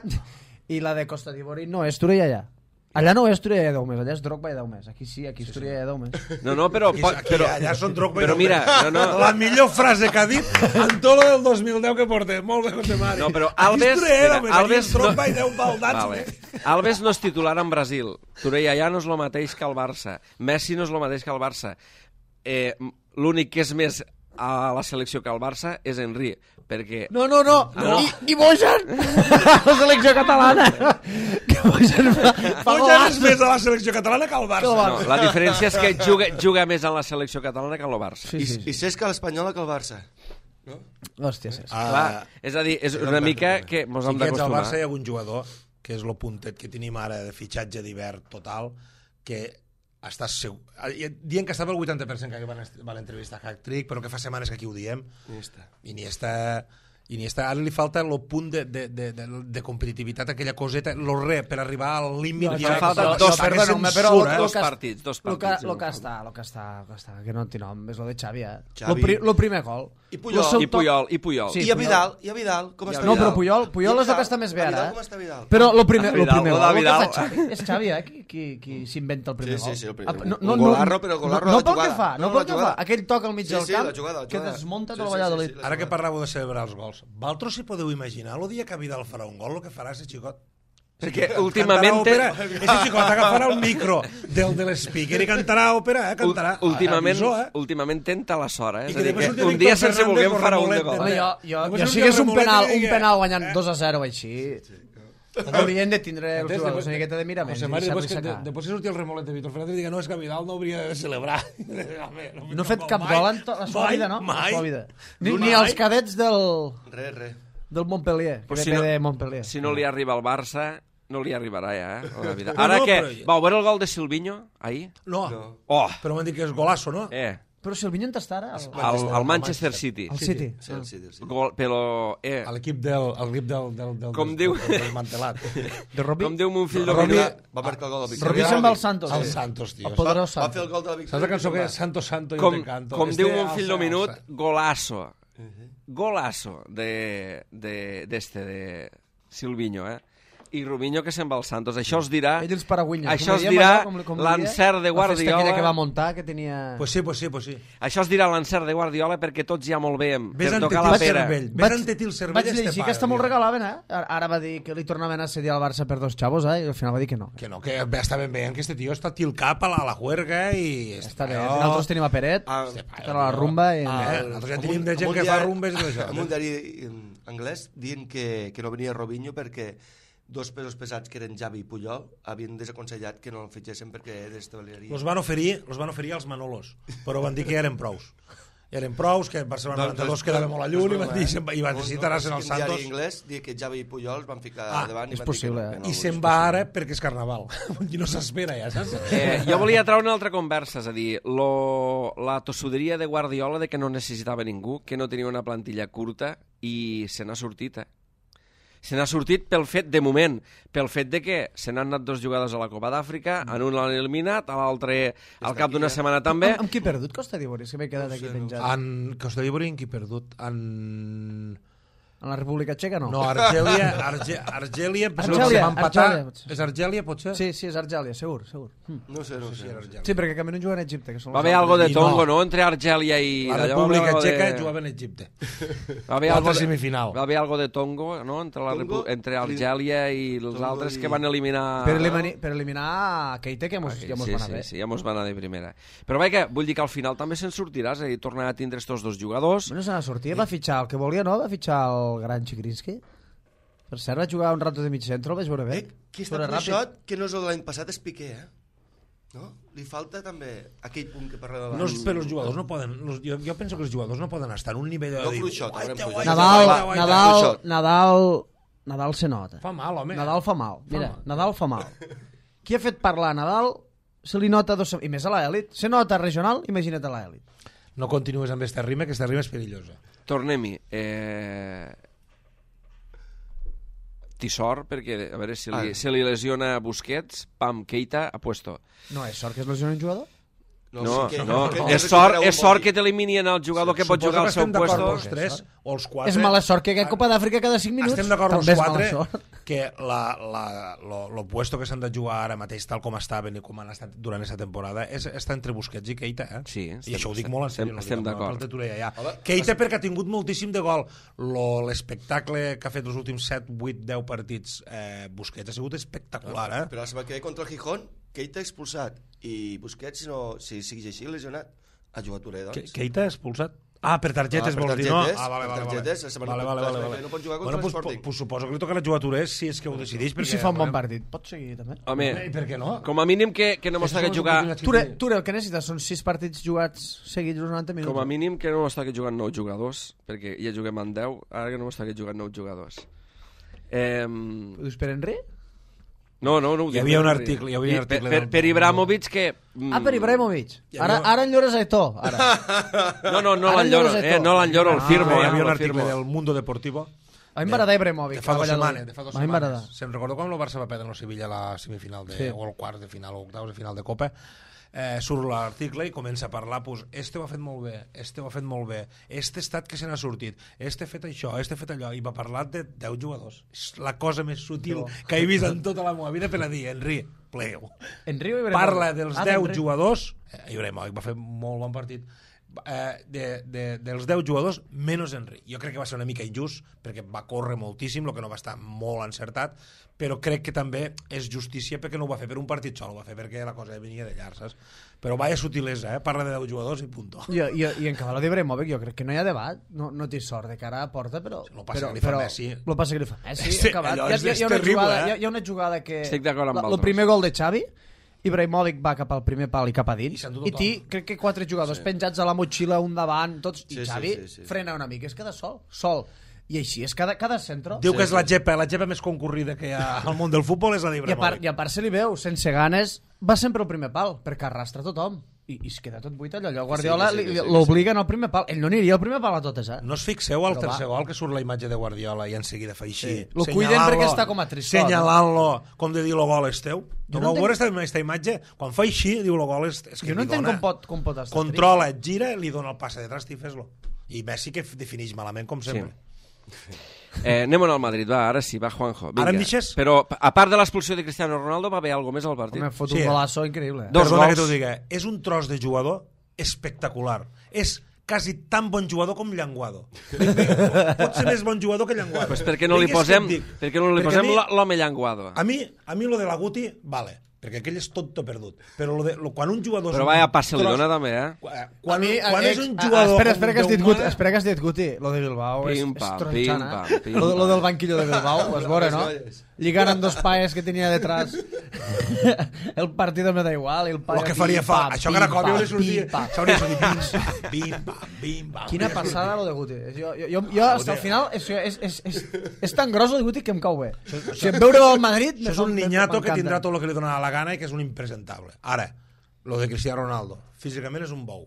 i la de Costa d'Ivori no és Torella allà. Allà no és Turella i 10 més, allà és Drogba i 10 més. Aquí sí, aquí és Turella i 10 més. No, però... Allà són Drogba i Però 10 mira, més. La millor frase que ha dit en tot lo del 2010 que portem. Molt bé, José Mari. No, però Alves és Drogba i 10 baldats. Vale. Alves no és titular en Brasil. Turella ja no és el mateix que el Barça. Messi no és el mateix que el Barça. L'únic que és més a la selecció que el Barça és Henry, perquè... No. I Bojan! La selecció catalana! Que Bojan Bojan és més a la selecció catalana que al Barça. No, la diferència és que juga més en la selecció catalana que en el Barça. I Cesc a l'Espanyola que el Barça. No? Hòstia, Cesc. Clar, és a dir, és una mica que mos hem d'acostumar. Al Barça hi ha algun jugador, que és el puntet que tenim ara de fitxatge d'hivern total, que estàs segur... Dient que estava el 80% que va l'entrevista a Hack-Trick, però que fa setmanes que aquí ho diem. Iniesta, ara li falta el punt de competitivitat, aquella coseta, lo re, per arribar al límit. Falta dos partits. Lo que està, que no té nom, és lo de Xavi, Lo primer gol. I Puyol. Sí, I a Vidal, com està Vidal? No, però Puyol és el que està més bé ara. Com està Vidal? Però lo primer gol que Vidal. fa Xavi, és Xavi, qui s'inventa el primer gol. Sí, el primer. Un golarro, però golarro no la jugada. No pel que fa, aquell toc al mig del camp, la que desmunta tot el Valladolid. Ara que parlàveu de celebrar els gols, vosaltres si podeu imaginar el dia que Vidal farà un gol, el que farà ese xicot? Perquè últimament... Ese xicot agafarà el micro del speaker i cantarà òpera, cantarà. Últimament tenta la sort, És a dir, que un dia sense voler farà un de gol. Jo si hagués un penal guanyant 2-0 així... Haurien de tindre els jugadors una miqueta de miraments. Després que surti el remolet de Víctor Fernández i diga no, és que Vidal no hauria de celebrar. No ha fet cap gol en la seva vida, no? Ni els cadets del Montpellier, que ve de Montpellier. Si no li arriba al Barça, no li arribarà ja, Ara que... Vau veure el gol de Silvinho, ahir? No, però m'han dit que és golasso, no? Però Silvinho on està ara? Al Manchester City. Al City. L'equip del com diu desmantelat. Com diu mon fill Robí. Va marcar el gol del Víctor. Robí se'n va al Santos. El Santos, tio. Va fer el gol de la Víctor. Saps la cançó que és Santo, yo te canto? Com diu mon fill del minut, golasso. Golasso de Silvinho, i Robinho que se'n va al Santos. Això es dirà... Ell els paragüinyes. Això es dirà l'encert de Guardiola... La festa aquella que va muntar, que tenia... Pues sí. Això es dirà l'encert de Guardiola perquè tots ja molt veiem. Ves tocar la pera. Ves entetir el cervell. Vaig llegir que està molt regalaven, Ara va dir que li tornaven a cedir al Barça per 2 xavos, i al final va dir que no. Que no, que està ben veient que este tio està til cap a la juerga i... Està bé. Nosaltres tenim a Peret, per a la rumba i... Nosaltres ja tenim de gent que fa rumbes i això. En un diari anglès dient que no venia Robinho perquè 2 pesos pesats que eren Xavi i Puyol havien desaconsellat que no el fitxessin perquè destableria. Los van oferir als Manolos, però van dir que eren prous. Eren prous, que el Barcelona 92 quedava molt a lluny i van necessitar-se als Santos. Un diari anglès diu que Xavi i Puyol van ficar davant. És possible. I se'n va ara perquè és Carnaval. I no s'espera ja, saps? Jo volia treure una altra conversa, és a dir, la tossuderia de Guardiola de que no necessitava ningú, que no tenia una plantilla curta i se n'ha sortit, Se n'ha sortit pel fet, de moment, pel fet de que se n'han anat 2 jugadors a la Copa d'Àfrica, en un l'han eliminat, a l'altre al cap d'una setmana també. Amb qui perdut Costa d'Ivori? És que m'he quedat aquí penjat. En Costa d'Ivori en qui perdut? En la República Txeca no? No, Argèlia, és Argèlia, potser? Sí, és Argèlia, segur. No sé. Sí, perquè Camerún juga en Egipte. Va haver algo de tongo, no?, entre Argèlia i... La República Txeca jugava en Egipte. Va haver algo semifinal. Va haver algo de tongo, no?, entre Argèlia i els altres que van eliminar... Per eliminar Keita, que ja mos van a ver. Sí, ja mos van a de primera. Però vaja, vull dir que al final també se'n sortirà, és a dir, tornarà a tindre estos 2 jugadors. No se n'ha sortit, va fitxar el que volia, no? Va fitxar el gran Chigrinsky. Per cert, va jugar un rato de mig centre, el vaig veure bé. Qui està fluixot, que no és el de l'any passat, és Piqué, no? Li falta també aquell punt que parla de l'any. No, però els jugadors no poden... Jo penso que els jugadors no poden estar en un nivell de... No fluixot, Nadal se nota. Fa mal, home. Nadal fa mal. Mira, Nadal fa mal. Qui ha fet parlar a Nadal se li nota i més a l'elit. Se nota regional, imagina't a l'elit. No continues amb esta rima, que esta rima és perillosa. Tornem-hi. Té sort, perquè a veure si li lesiona Busquets, pam, Keita, a puesto. No, és sort que es lesiona un jugador? No, és sort que t'eliminien el jugador que pot jugar al seu puesto. O els 4. És mala sort que hi ha Copa d'Àfrica cada 5 minuts. Estem d'acord els 4 que lo puesto que s'han de jugar ara mateix, tal com estaven i com han estat durant aquesta temporada, està entre Busquets i Keita, eh? Sí, I això ho dic molt en sèrio. Estem d'acord. Keita perquè ha tingut moltíssim de gol. L'espectacle que ha fet els últims 7, 8, 10 partits Busquets ha sigut espectacular, eh? Però la setmana que ve contra el Gijón, Keita expulsat i Busquets, si segueix així lesionat, ha jugat Touré, doncs. Keita expulsat? Ah, per targetes, vols dir, no? Ah, vale. No pot jugar contra l'Sporting. Pues suposo que li tocarà jugar a Touré si és que ho decideix. I si fa un bon partit, pot seguir també. Home, I per què no? com a mínim que no mos toqui jugar... Touré, el que necessites són 6 partits jugats seguits uns 90 minuts. Com a mínim que no mos toqui jugant 9 jugadors, perquè ja juguem en 10, ara que no mos toqui jugant 9 jugadors. Ho dius per Henry? No, hi havia un article per Ibrahimovic que... Per Ibrahimovic. Ara enllores a Eto'o. No l'enlloro, el firmo. Hi havia un article del Mundo Deportivo. A mi m'agrada Ibrahimovic. De fa 2 setmanes. Se'n recordo quan el Barça va perdre en el Sevilla a la semifinal o el quart de final o octaus de final de Copa. Surt l'article i comença a parlar, pues, este ho ha fet molt bé, este ho ha fet molt bé, este estat que se n'ha sortit, este ha fet això, este ha fet allò, i va parlar de 10 jugadors. És la cosa més sutil que he vist en tota la meva vida per a dir, Henry, plego. Parla dels 10 jugadors, Ibrahimovic va fer molt bon partit, dels 10 jugadors menys Henry. Jo crec que va ser una mica injust perquè va córrer moltíssim, el que no va estar molt encertat, però crec que també és justícia perquè no ho va fer per un partit sol, ho va fer perquè la cosa venia de llar, saps? Però vaya sutilesa, parla de 10 jugadors i punto. I en cabal d'Ibrahimovic jo crec que no hi ha debat, no té sort de cara a porta, però... Lo passa que li fa Messi. Lo passa que li fa Messi, hi ha una jugada que... Estic d'acord amb el primer gol de Xavi, Ibrahimovic va cap al primer pal i cap a dins, i crec que 4 jugadors penjats a la motxilla, un davant, tots, i Xavi frena una mica, és cada sol. I així és cada centre. Diu que és la gepa més concurrida que hi ha al món del futbol és la d'Ibrahimovic. I a part se li veu, sense ganes, va sempre al primer pal, perquè arrastra tothom. I es queda tot buit allò. Guardiola l'obliguen al primer pal. Ell no aniria al primer pal a totes, eh? No us fixeu al tercer gol que surt la imatge de Guardiola i en seguida fa així? Lo cuiden perquè està com a tristot. Senyalant-lo, com de dir lo gol és teu. No vau veure aquesta imatge? Quan fa així, diu lo gol és que jo no entenc com pot estar controla, et gira, li dona el passe de trast i fes-lo. I Messi que defineix malament, com sempre. Anem al Madrid, va, ara sí, va Juanjo. Ara em deixes? Però a part de l'expulsió de Cristiano Ronaldo va haver alguna més al partit? Home, fot un golazo increïble. Perdona que t'ho digui, és un tros de jugador espectacular. És quasi tan bon jugador com Llanguado. Pot ser més bon jugador que Llanguado. Pues per què no li posem l'home Llanguado? A mi lo de la Guti, vale, perquè aquell és tonto perdut. Però quan un jugador... Però vaya passe li dona també, Quan és un jugador... Espera que has dit Guti. Lo de Bilbao és tronxant, Lo del banquillo de Bilbao, ho has veure, no? Lligant amb 2 paes que tenia detrás. El partit me da igual. El que faria fa... Això que ara com hauria sortit... Bim-bam. Quina passada lo de Guti. Jo hasta el final és tan gros el de Guti que em cau bé. Si em veure al Madrid... Això és un niñato que tindrà tot el que li donarà la gana i que és un impresentable. Ara, lo de Cristiano Ronaldo, físicament és un bou,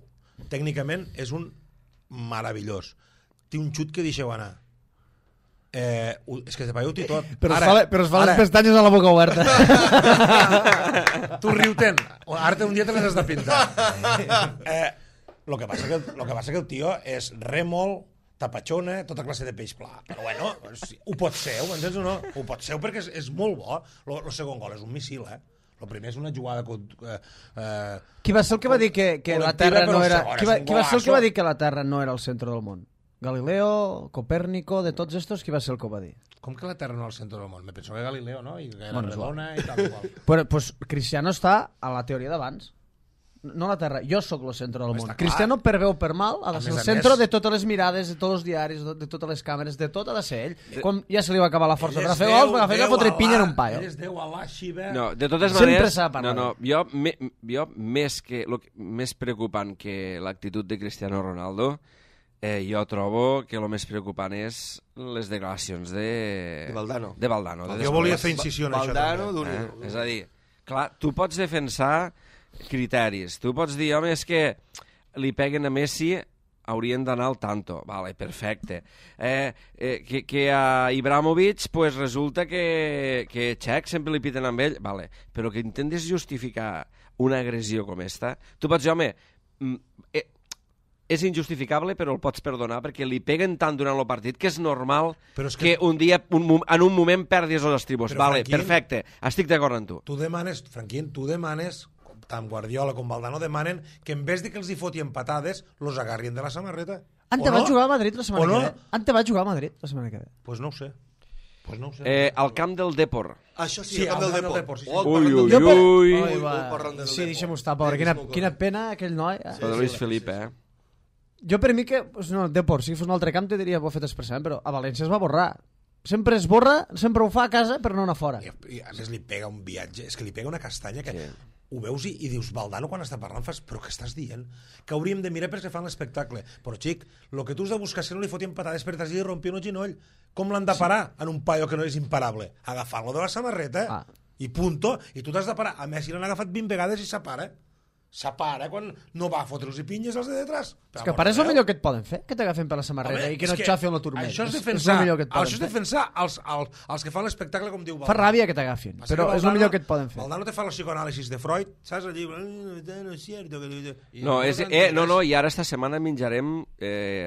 tècnicament és un meravellós, té un xut que deixeu anar, és que se veieu-t'hi tot, però es fa les pestanyes a la boca oberta. Tu riu-te'n, ara un dia te les has de pintar. Lo que passa que el tio és rèmol, tapachona, tota classe de peix pla. Però bueno, ho pot ser, ho entens o no? Ho pot ser perquè és molt bo. El segon gol és un missil, El primer és una jugada... Qui va ser el que va dir que la Terra no era... Qui va ser el que va dir que la Terra no era el centre del món? Galileo, Copèrnico, de tots estos, qui va ser el que ho va dir? Com que la Terra no és el centre del món? Me penso que Galileo, no? I que era redona i tal i qual. Pues Cristiano està a la teoria d'abans. No la Terra, jo sóc el centre del món. Cristiano, per bé o per mal, ha de ser el centre de totes les mirades, de tots els diaris, de totes les càmeres, de tot ha de ser ell. Quan ja se li va acabar la força per a fer gols, va fer que fotre pinya en un paio. Ell és Déu, Alà, Xiva... No, de totes maneres... Jo més preocupant que l'actitud de Cristiano Ronaldo, jo trobo que el més preocupant és les declaracions de Valdano. Jo volia fer incisió en això. És a dir, clar, tu pots defensar criteris. Tu pots dir, home, és que li peguen a Messi, haurien d'anar al tanto. Vale, perfecte. Que a Ibrahimovic pues, resulta que Txec sempre li piten amb ell. Vale, però que intentes justificar una agressió com esta, tu pots dir, home, és injustificable, però el pots perdonar, perquè li peguen tant durant el partit que és normal Però és que un dia, en un moment, perdis els estribos. Però, Vale, Franquín, perfecte, estic d'acord amb tu. Franquín, tu demanes, tant Guardiola com Valdano demanen que en vez de que els hi fotien patades, los agarrien de la samarreta. Ante va jugar a Madrid la setmana O no? que ve. Ante va jugar a Madrid la setmana que ve. Pues no ho sé. Al camp del Depor. Això sí, Sí, el camp al del camp del Depor. Depor, sí, sí. Ui. Sí, deixem-ho estar, pobre. Quina pena aquell noi. Lo de Luis Felipe, Jo per mi que, pues no, Depor, si fos un altre camp te diria ho ha fet expressament, però a València es va borrar. Sempre es borra, sempre ho fa a casa, però no anar fora. I a més li pega un viatge, és que li pega una castanya que Sí. ho veus i dius, Valdano quan està parlant fas, però què estàs dient? Que hauríem de mirar perquè fan l'espectacle. Però xic, el que tu has de buscar és que no li fotien patades per atrás i li rompien un ginoll. Com l'han de parar en un paio que no és imparable? Agafar-lo de la samarreta i punto. I tu t'has de parar. A Messi l'han agafat 20 vegades i s'apara. S'apara quan no va a fotre'ls i pinyes als de detrás. És que parar és el millor que et poden fer, que t'agafen per la samarreta i que no et xafi el turmet. Això és el defensar, millor que et poden això és fer. defensar els que fan l'espectacle, com diu Valdano. Fa ràbia que t'agafin, Passa però que és el millor que et poden fer. Valdano te fa el psicoanàlisis de Freud, saps? El llibre... No és cierto. No, i ara esta setmana menjarem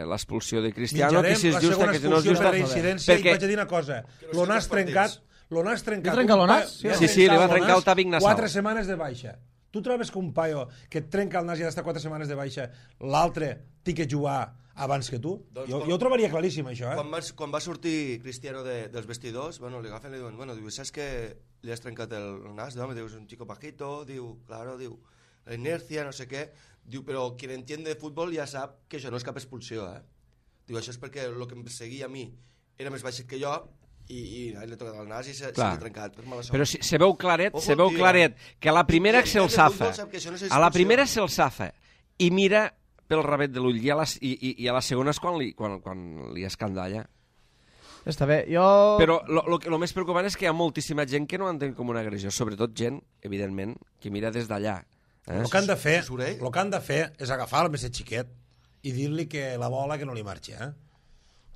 l'expulsió de Cristiano, que si és justa, que si no és justa... Perquè... I vaig a dir una cosa, l'Onàs trencat... L'Onàs trencat... Li trenca l'Onàs? Sí, li va trencar el Tàvic Nassau. 4 setmanes de baixa. Tu trobes que un paio que et trenca el nas i ha d'estar 4 setmanes de baixa, l'altre té que jugar abans que tu? Jo ho trobaria claríssim, això, Quan va sortir Cristiano dels vestidors, bueno, li agafen i li diuen, bueno, diu, saps que li has trencat el nas? Diu, és un chico bajito, diu, claro, diu, la inercia, no sé què, diu, però qui entiende de futbol ja sap que això no és cap expulsió, Diu, això és perquè el que em perseguia a mi era més baixet que jo, i l'he tocat el nas i s'ha trencat per mala sort. Però se veu claret que a la primera se'l safa, se'l safa i mira pel rabet de l'ull i a la segona és quan li escandalla. Està bé, jo... Però el més preocupant és que hi ha moltíssima gent que no entén com una agressió, sobretot gent, evidentment, que mira des d'allà. El que han de fer és agafar el més xiquet i dir-li que la bola que no li marxi,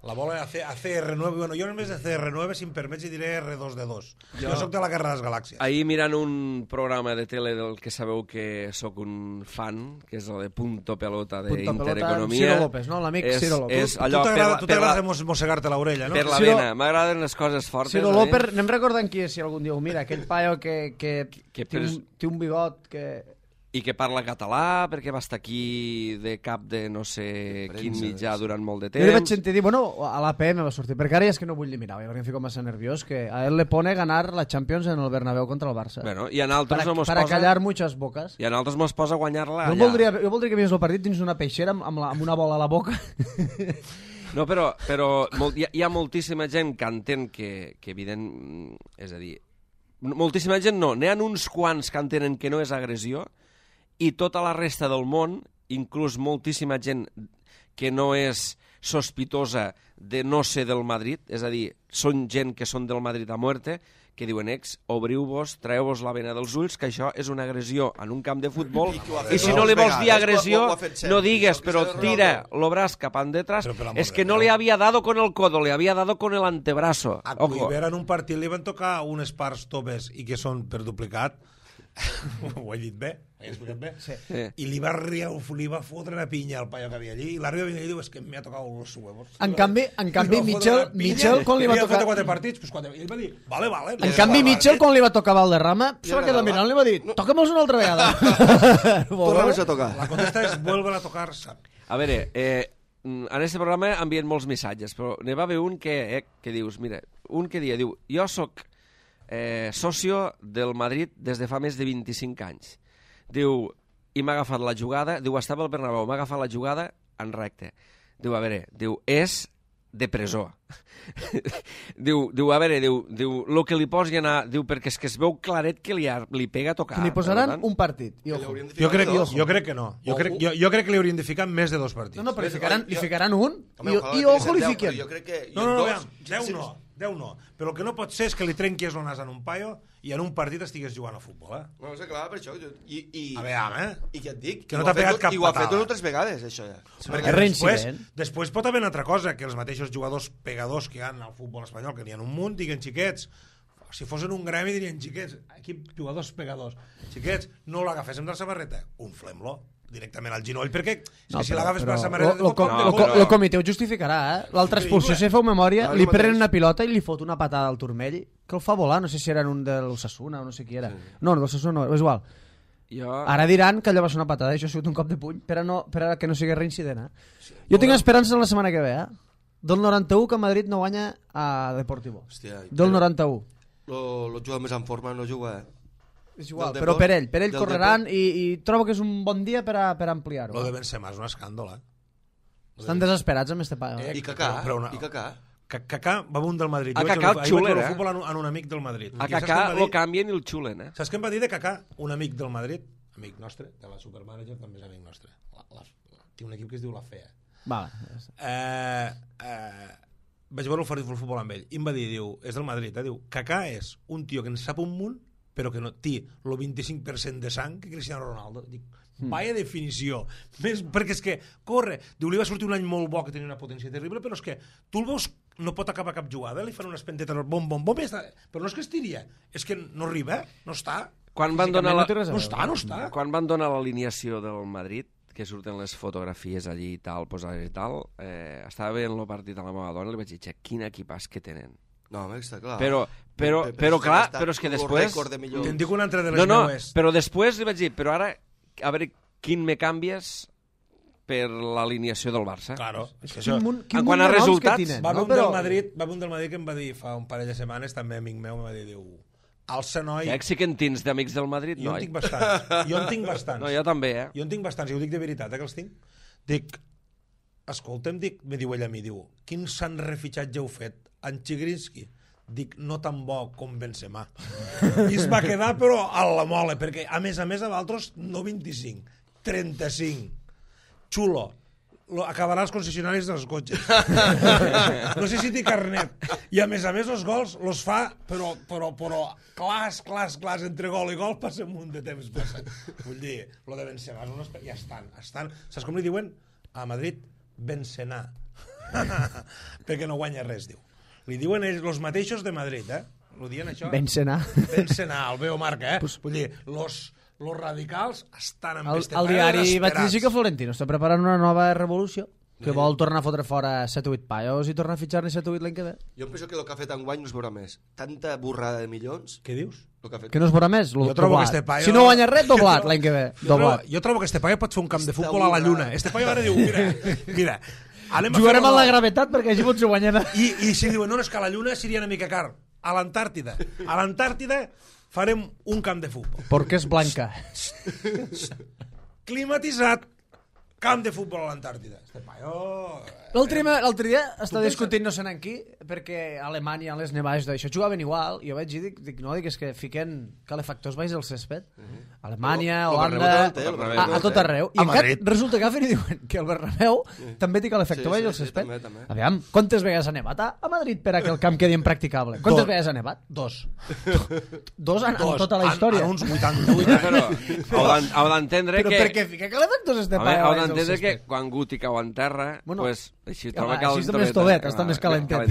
La bola ACR9, bueno, jo només de CR9, si em permets, diré R2D2. Jo soc de la Guerra de les Galàxies. Ahir mirant un programa de tele del que sabeu que sóc un fan, que és el de Punto Pelota d'Intereconomia. Ciro López, no? L'amic Ciro López. Tu t'agrada mossegar-te l'orella, no? Per la vena, m'agraden les coses fortes. Ciro López, anem recordant qui és, si algun dia ho mira, aquell paio que té un bigot que... I que parla català, perquè va estar aquí de cap de no sé quin mitjà durant molt de temps. Jo li vaig sentir dir, bueno, a l'APM va sortir, perquè ara ja és que no vull ni mirar, perquè em fico massa nerviós, que a él le pone ganar la Champions en el Bernabéu contra el Barça. Bueno, i en altres no mos posa... Para callar muchas bocas. I en altres mos posa guanyar-la allà. Jo voldria que vingués el partit dins d'una peixera amb una bola a la boca. No, però hi ha moltíssima gent que entén que evident... És a dir, moltíssima gent no, n'hi ha uns quants que entenen que no és agressió, i tota la resta del món, inclús moltíssima gent que no és sospitosa de no ser del Madrid, és a dir, són gent que són del Madrid a muerte, que diuen, obriu-vos, traeu-vos la vena dels ulls, que això és una agressió en un camp de futbol, i si no li vols dir agressió, no digues, però tira el braç cap endetras, és que no li havia dado con el codo, li havia dado con el antebrazo. A Cuiver en un partit li van tocar unes parts toves i que són per duplicat. Ho he dit bé? He explicat bé? Sí. I li va fotre una pinya al paio que havia allí i l'àrbitre venia i diu, és que m'ha tocat los huevos. En canvi Mitchell, quan li va tocar... 4 partits, pues 4. I ell va dir, vale. En canvi, Mitchell, quan li va tocar Valderrama, se va quedar mirant, li va dir, toca'm-los una altra vegada. Torna-los a tocar. La contesta és, vuelven a tocar. A veure, en aquest programa envien molts missatges, però n'hi va haver un que dius, mira, un que diu, jo soc socio del Madrid des de fa més de 25 anys. Diu, i m'ha agafat la jugada, diu, estava al Bernabéu, m'ha agafat la jugada en recte. Diu, a veure, és de presó. diu, el que li posi anar, diu, perquè és que es veu claret que li pega a tocar. Li posaran un partit. Jo crec que no. Jo crec que li haurien de ficar més de 2 partits. No, però li ficaran un i ojo li fiquen. No, 10 no. Però el que no pot ser és que li trenquis el nas en un paio i en un partit estigués jugant a futbol, No, és clar, per això. A veure, I què et dic? Que no t'ha pegat cap patada. I ho ha fet 2 o 3 vegades, això ja. Perquè després pot haver una altra cosa, que els mateixos jugadors pegadors que hi ha al futbol espanyol, que n'hi ha un munt, diguen xiquets, si fossin un gremi dirien xiquets, aquí jugadors pegadors, xiquets, no l'agaféssim de la samarreta, unflem-lo, directament al genoll, perquè No, si l'agafes per la samarreta... El comitè ho justificarà, L'altra expulsió, si feu memòria, li prenen una pilota i li fot una patada al turmell que el fa volar, no sé si era un de l'Osasuna o no sé qui era. No, del Osasuna no, és igual. Ara diran que allò va ser una patada, això ha sigut un cop de puny, per a que no sigui reincident. Jo tinc esperança en la setmana que ve, Del 91 que Madrid no guanya a Deportivo. Del 91. El jugador més en forma no juga, És igual, però per ell correran i trobo que és un bon dia per ampliar-ho. Lo de Benzema és un escàndol, Estan desesperats amb este paio. I Kaká. Kaká va un del Madrid. A Kaká el xulen, el futbol en un amic del Madrid. A Kaká lo canvien i el xulen, Saps què em va dir de Kaká? Un amic del Madrid, amic nostre, de la Supermanager, també és amic nostre. Té un equip que es diu La Fea. Vale. Vaig veure el futbol amb ell i em va dir, és del Madrid, diu, Kaká és un tio que en sap un munt però que no té el 25% de sang que Cristiano Ronaldo. Dic, vaya definició. Perquè és que corre. Diu, li va sortir un any molt bo que tenia una potència terrible, però és que tu el veus, no pot acabar cap jugada, li fan unes pentetes, bom, però no és que estiria, és que no arriba, no està. Quan van donar no està. Quan van donar l'alineació del Madrid, que surten les fotografies allí i tal, posades i tal, estava veient el partit a la meva dona i li vaig dir, quin equipàs que tenen. No, està clar. Però clar, però és que després... Te'n dic una altra de les meues. Però després li vaig dir, però ara, a veure, quin me canvies per l'alineació del Barça? Claro. En quant a resultats... Va haver un del Madrid que em va dir fa un parell de setmanes, també amic meu, em va dir, alça, noi... Sí que en tens d'amics del Madrid, noi? Jo en tinc bastants. No, jo també, Jo en tinc bastants, i ho dic de veritat, que els tinc. Dic, escolta'm, me diu ell a mi, quin sant refitxatge heu fet? En Chigrinsky. Dic, no tan bo com Benzema. I es va quedar, però a la mola, perquè a més a vosaltres no 25, 35. Xulo. Acabarà als concessionaris dels cotxes. No sé si té carnet. I a més els gols los fa, però clars, entre gol i gol passa un munt de temps passat. Vull dir, lo de Benzema ja estan. Saps com li diuen? A Madrid, Benzema. Perquè no guanya res, diu. Li diuen ells, los mateixos de Madrid, Lo dien això? Benzema, el veo marca, Vull dir, los radicals estan amb este paio desesperats. Al diari vaig llegir que Florentino està preparant una nova revolució, que vol tornar a fotre fora 7 o 8 paios i tornar a fitxar-ne 7 o 8 l'any que ve. Jo penso que el que ha fet enguany no es veurà més. Tanta borrada de milions... Què dius? Que no es veurà més? Jo trobo que este paio... Si no guanya res, doblat l'any que ve. Jo trobo que este paio pot fer un camp de futbol a la lluna. Este paio ara diu, mira... Jugarem a la gravetat perquè així potser guanyem. I si diuen, no, és que a la lluna seria una mica car. A l'Antàrtida farem un camp de futbol. Perquè és blanca. Climatitzat. Camp de futbol a l'Antàrtida. Este paio... L'altre dia està discutint no sé en qui, perquè a Alemanya, a les nevades d'això, jugaven igual, i jo vaig dir, dic, és que fiquen calefactors baix del cèsped. Alemanya, Holanda, a tot arreu. I encara resulta que agafen i diuen que el Bernabéu també té calefactor baix del cèsped. Aviam, quantes vegades ha nevat a Madrid per a que el camp quedi impracticable? Quantes vegades ha nevat? 2. 2 en tota la història. En uns 88. Heu d'entendre que... Però per què fica calefactors este paio? Heu d'entendre que quan Guti cau en terra, pues, així troba calentoreta. Està més calentet.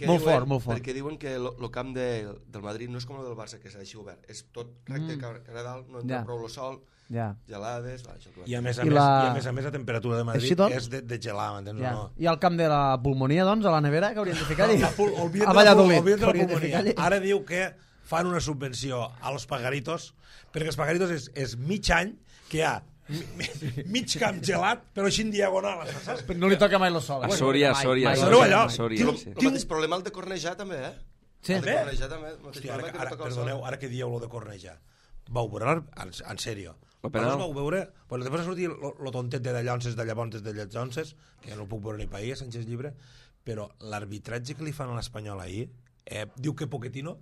Molt fort. Perquè diuen que el camp del Madrid no és com el del Barça, que és així obert. És tot recte, cara dalt, no entra prou el sol, gelades... I a més la temperatura de Madrid és de gelar, m'entens o no? I al camp de la pulmonia, doncs, a la nevera, que haurien de ficar-hi? A Valladolid. Ara diu que fan una subvenció als pagaritos, perquè els pagaritos és mig any que hi ha mig camp gelat, però així en diagonal, saps? No li toca mai el sol. A Sòria. El mateix problema el de Cornellà, també, Sí. Hòstia, perdoneu, ara que dieu lo de Cornellà. Vau veure, en sèrio, vau veure, després va sortir lo tontet de Dallonses, de llavors de Lletjonses, que ja no puc veure ni país, Sánchez Llibre, però l'arbitratge que li fan a l'Espanyol ahir, diu que Pochettino,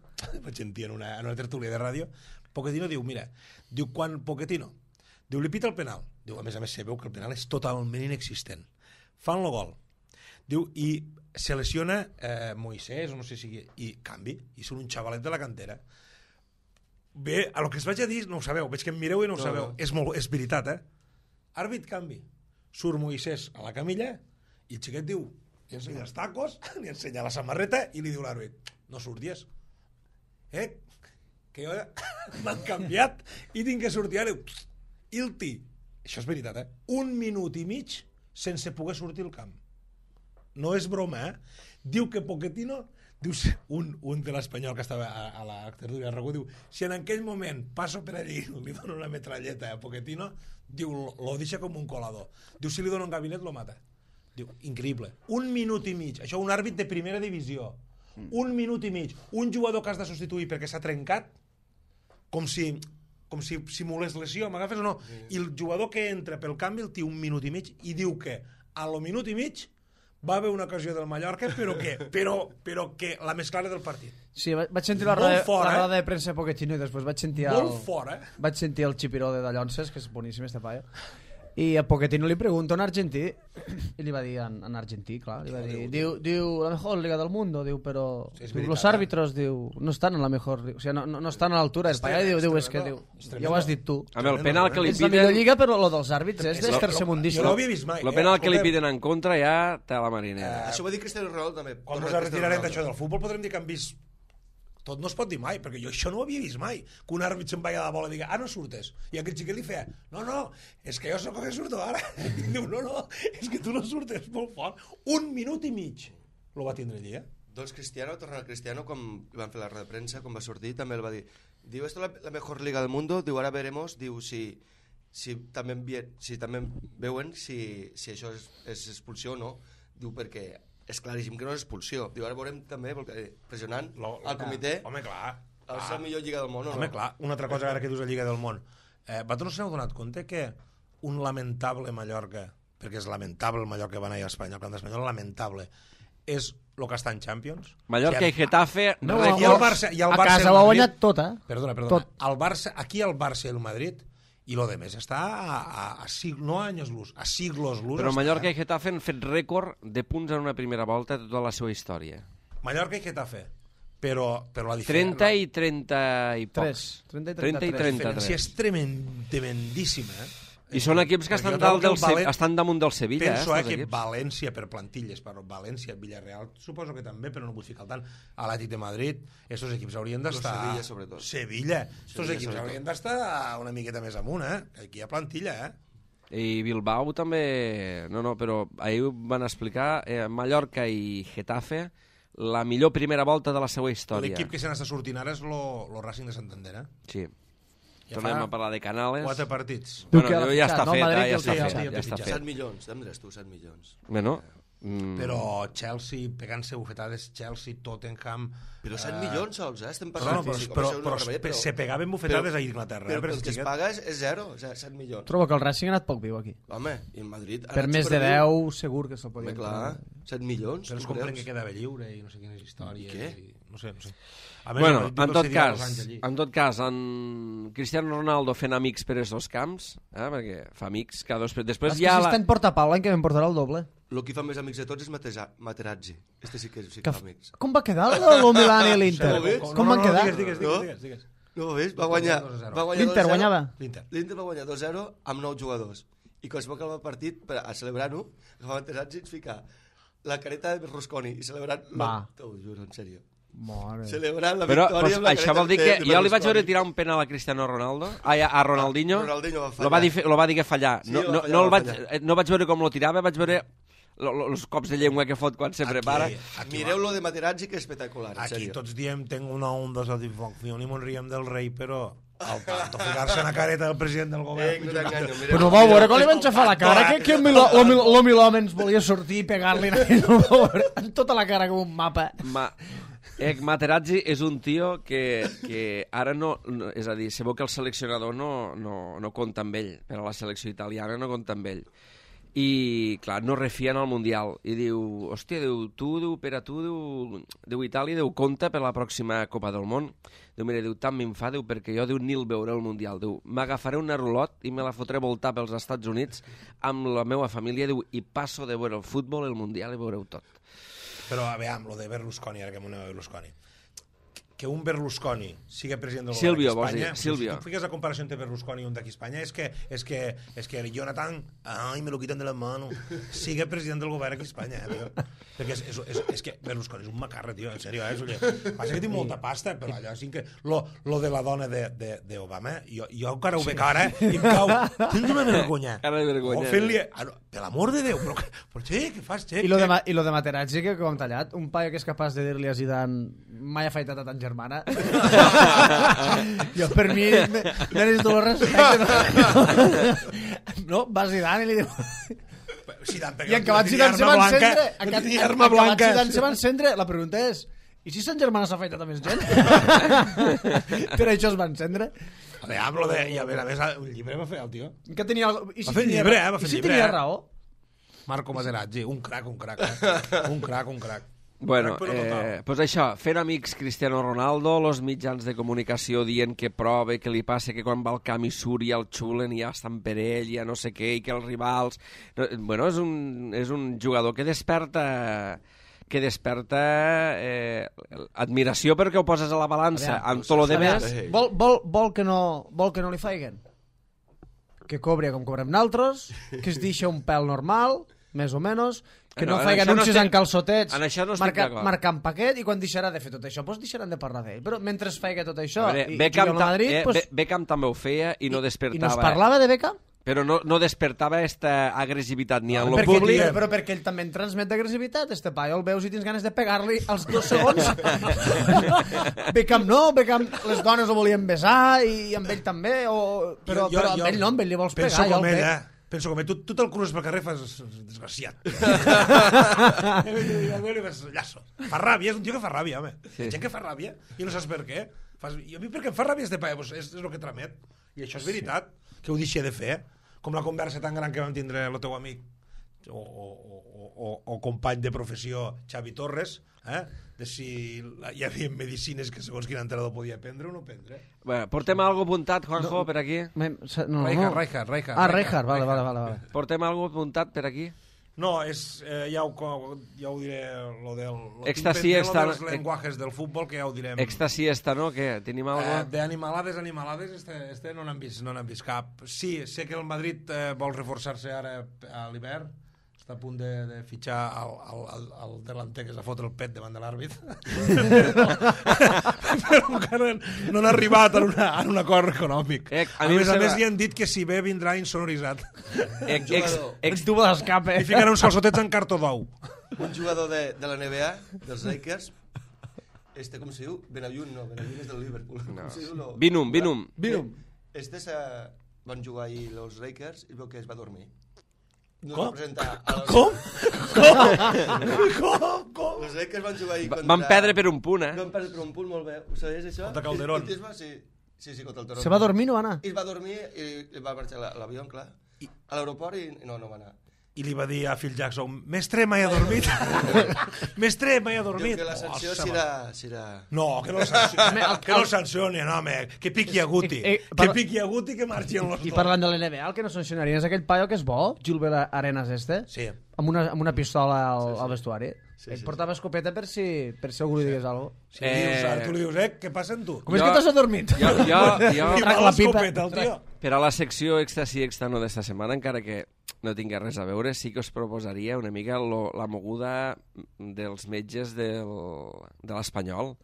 vaig sentir en una tertúlia de ràdio, Pochettino diu, mira, quan Pochettino diu, li pita el penal. Diu, a més se veu que el penal és totalment inexistent. Fan el gol. Diu, i se lesiona Moisés, o no sé si... I canvi, i són un xavalet de la cantera. Bé, a lo que es vaig a dir, no ho sabeu. Veig que em mireu i no ho sabeu. És veritat, Àrbit, canvi. Surt Moisés a la camilla i el xiquet diu, li ensenya els tacos, li ensenya la samarreta i li diu l'àrbit, no surties. Que jo m'han canviat i tinc que sortir ara. Ilti, això és veritat, 1 minut i mig sense poder sortir al camp. No és broma, Diu que Pochettino, diu, un de l'Espanyol que estava a la tertúlia de Ragú, diu, si en aquell moment passo per allí li dono una metralleta a Pochettino, diu, lo deixa com un colador. Diu, si li dono un gabinet, lo mata. Diu, increïble. 1 minut i mig. Això, un àrbit de primera divisió. 1 minut i mig. Un jugador que has de substituir perquè s'ha trencat, com si simulés lesió, m'agafes o no? I el jugador que entra pel canvi el té 1 minut i mig i diu que a lo minut i mig va haver una ocasió del Mallorca, però que la més clara del partit. Sí, vaig sentir la roda de premsa de Pochettino i després vaig sentir vaig sentir el xipiró de Dallonses, que és boníssim este paio, i a Pochettino li pregunta en argentí i li va dir en argentí, clar, li va dir, diu la mejor liga del mundo, diu, però los árbitros, diu, no estan en la mejor, o sigui, no estan a l'altura, el paio diu, és que diu, ja ho has dit tu. Amb el penal que li piden... És la millor lliga, però lo dels àrbits és tercermundista. Jo no ho havia vist mai. El penal que li piden en contra ja té la marinera. Això ho va dir Cristiano Ronaldo també. Quan ens retirarem d'això del futbol podrem dir que han vist... Tot no es pot dir mai, perquè jo això no ho havia vist mai, que un àrbit se'n vaya a la bola i diga, no surtes. I aquell xiquet li feia, no, és que jo sóc el que surto ara. I diu, no, és que tu no surtes, molt fort. 1 minut i mig lo va tindre allí, Doncs Cristiano, tornant al Cristiano, com van fer la roda de premsa, com va sortir, també el va dir, diu, esto es la mejor liga del mundo, diu, ara veremos, diu, si també veuen si això és expulsió o no, diu, perquè és claríssim que no és expulsió. Diu, ara veurem també pressionant el comitè. Home, clar. És la millor lliga del món, o no? Home, clar. Una altra cosa ara que dius la lliga del món. Vosaltres us heu donat compte que un lamentable Mallorca, perquè és lamentable el Mallorca que va anar a Espanya, el camp d'Espanyol, lamentable, és el que està en Champions. Mallorca i Getafe... A casa ho ha guanyat tot, Perdona. Aquí el Barça i el Madrid... I lo demés està no a anys luz, a siglos luz. Però Mallorca i Getafe han fet rècord de punts en una primera volta de tota la seva història. Mallorca i Getafe, però la diferència... 30 i 30 i pocs. 30 i 33. La diferència és tremendíssima, I són equips que estan damunt del Sevilla. Penso que València, per plantilles, València, Villarreal, suposo que també, però no vull ficar tant, Atlètic de Madrid, aquests equips haurien d'estar... Sevilla, sobretot. Sevilla. Aquests equips haurien d'estar una miqueta més amunt, Aquí hi ha plantilla, I Bilbao també... No, però ahir van explicar Mallorca i Getafe la millor primera volta de la seva història. L'equip que se n'està sortint ara és el Racing de Santander, Sí. Tornem a parlar de Canales. 4 partits. Bueno, ja està fet, ja està fet. 7 milions, tindràs tu, 7 milions. Bueno, però Chelsea, pegant-se bufetades, Chelsea, Tottenham... Però 7 milions sols, estem parlant físic. Però se pegaven bufetades a Inglaterra. Però el que es paga és 0, 7 milions. Trobo que el Racing ha anat poc viu aquí. Home, i el Madrid... Per més de 10 segur que se'l podia... Clar, 7 milions. Però es compren que quedava lliure i no sé quines històries. Què? No sé. Bueno, en tot cas, en Cristiano Ronaldo fent amics per aquests dos camps, perquè fa amics cada dos... Després ja si està en portapau, l'any que vam portarà el doble. El que fa més amics de tots és Materazzi. Este sí que fa amics. Com va quedar el Milan i l'Inter? Com van quedar? Digues. No ho veus? Va guanyar l'Inter guanyava? L'Inter va guanyar 2-0 amb 9 jugadors. I quan es va acabar el partit, a celebrar-ho, agafava Materazzi i ens fica la careta de Berlusconi i celebrant... T'ho juro, en sèrio. Celebrant la victòria amb la això vol dir que jo li vaig veure tirar un penal a Cristiano Ronaldo, a Ronaldinho, lo va dir que fallar. No vaig veure com lo tirava, vaig veure els cops de llengua que fot quan se prepara. Mireu lo de Materazzi, que és espectacular. Aquí tots diem tengo una onda de satisfacció i mon riem del rei, però al tanto ficar-se en la careta del president del govern. Però no vau veure com li van xafar la cara, que lo Milhomes ens volia sortir i pegar-li en tota la cara com un mapa. Materazzi és un tio que ara no... És a dir, sabeu que el seleccionador no compta amb ell, per a la selecció italiana no compta amb ell. I, clar, no refien al Mundial. I diu, hòstia, per a tu, Itàlia, compta per la pròxima Copa del Món. Diu, mira, tant me'n fa, perquè jo, ni el veuré al Mundial. Diu, m'agafaré una rulot i me la fotré voltar pels Estats Units amb la meva família, diu, i passo de veure el futbol, el Mundial, i veureu tot. Però, a veure, lo de Berlusconi, ara que m'ho aneu a Berlusconi. que un Berlusconi sigui president del Silvio, govern vols d'Espanya, dir, Silvio. si tu fiques la comparació entre Berlusconi i un d'aquí a Espanya, és que el Jonathan, ai, me lo quitan de la mano, sigui president del govern aquí a Espanya, tio. Perquè és que Berlusconi és un macarra, tio, en sèrio, passa que tinc molta pasta, però allò sí que lo de la dona d'Obama, jo encara ho veig ara, i em cau, tens una vergonya. Cara de vergonya. Fent-li, per l'amor de Déu, però què fas, I lo de Materazzi, que com tallat, un paio que és capaç de dir-li a Zidane mai ha afaitat a tan germana. Jo, per mi, n'eres tot el respecte. No, va Zidane i li diu... I en acabat Zidane se va encendre. Acabat Zidane se va encendre. La pregunta és, i si Sant Germana s'ha afaitat a més gent? Per això es va encendre. I a més, un llibre va fer el tio. Que tenia... Va fer llibre, va fer I si llibre. tenia raó? Marco Materazzi, un crac. Un crac. Bueno, pues això, fent amics Cristiano Ronaldo, los mitjans de comunicació dient que prova, que li passa que quan va al camp i surt ja el xulen i ja estan per ell, ja no sé què, i que els rivals... Bueno, és un jugador que desperta admiració perquè ho poses a la balança amb tot lo demés. Vol que no li faiguen? Que cobri com cobrem naltros, que es deixa un pèl normal, més o menys, que no faig anuncis en calçotets marcant paquet, i quan deixarà de fer tot això doncs deixaran de parlar d'ell, però mentre es faig tot això i juguem a Madrid Beckham també ho feia i no despertava. I no es parlava de Beckham? Però no despertava esta agressivitat ni en lo públic. Però perquè ell també en transmet agressivitat, este paio el veus i tens ganes de pegar-li als 2 segons. Beckham no, Beckham les dones ho volien besar i amb ell també, però amb ell no, amb ell li vols pegar. Penso com ell, tu te'l cruces pel carrer i fas desgraciat. Llaço. Fa ràbia, és un tio que fa ràbia, home. Hi ha gent que fa ràbia i no saps per què. I a mi perquè em fa ràbia este paio, és el que tramet. I això és veritat, que ho deixi de fer. Com la conversa tan gran que vam tindre el teu amic o company de professió Xavi Torres, de si hi havia medicines que segons quin entrenador podia prendre o no prendre. Bueno, portem algo apuntat, Juanjo, per aquí? Rijkaard. Ah, Rijkaard, vale. Portem algo apuntat per aquí? No, ja ho diré, lo dels lenguajes del futbol, que ja ho direm. Èxtasi esta, no? Què? Tenim algo? De animalades, no n'han vist cap. Sí, sé que el Madrid vol reforçar-se ara a l'hivern, està a punt de fitxar el delanter que s'ha fotre el pet davant de l'àrbit. Però encara no han arribat a un acord econòmic. A més, li han dit que si ve vindrà insonoritzat. Tubo d'escape. I ficarà uns calçotets en cartó d'ou. Un jugador de la NBA, dels Lakers, com se diu? Benayoun és del Liverpool. No. Binum. Van jugar ahir els Lakers i veu que es va dormir. Com? Els Lakers van jugar ahir contra... Van perdre per un punt, Van perdre per un punt, molt bé. Ho sabies, això? Contra Calderón. Sí, contra el Toronto. Se va dormir, no va anar? I es va dormir i va marxar l'avió, clar. A l'aeroport i no va anar. I li va dir a Phil Jackson, mestre, mai ha dormit. Mestre, mai ha dormit. Diu que la sanció serà... No, que no el sancioni, no, home. Que piqui a Guti. Que piqui a Guti, que marxi en los dos. I parlant de l'NBA, el que no sancionaria és aquell paio que és bo, Gilbert Arenas Sí. Amb una pistola al vestuari. Ell portava escopeta per si algú li digués alguna cosa. Sí, tu li dius, què passa amb tu? Com és que t'has adormit? Jo trac la pipa. El tio. Per a la secció extra no d'esta setmana, encara que no tingués res a veure, sí que us proposaria una mica la moguda dels metges de l'Espanyol,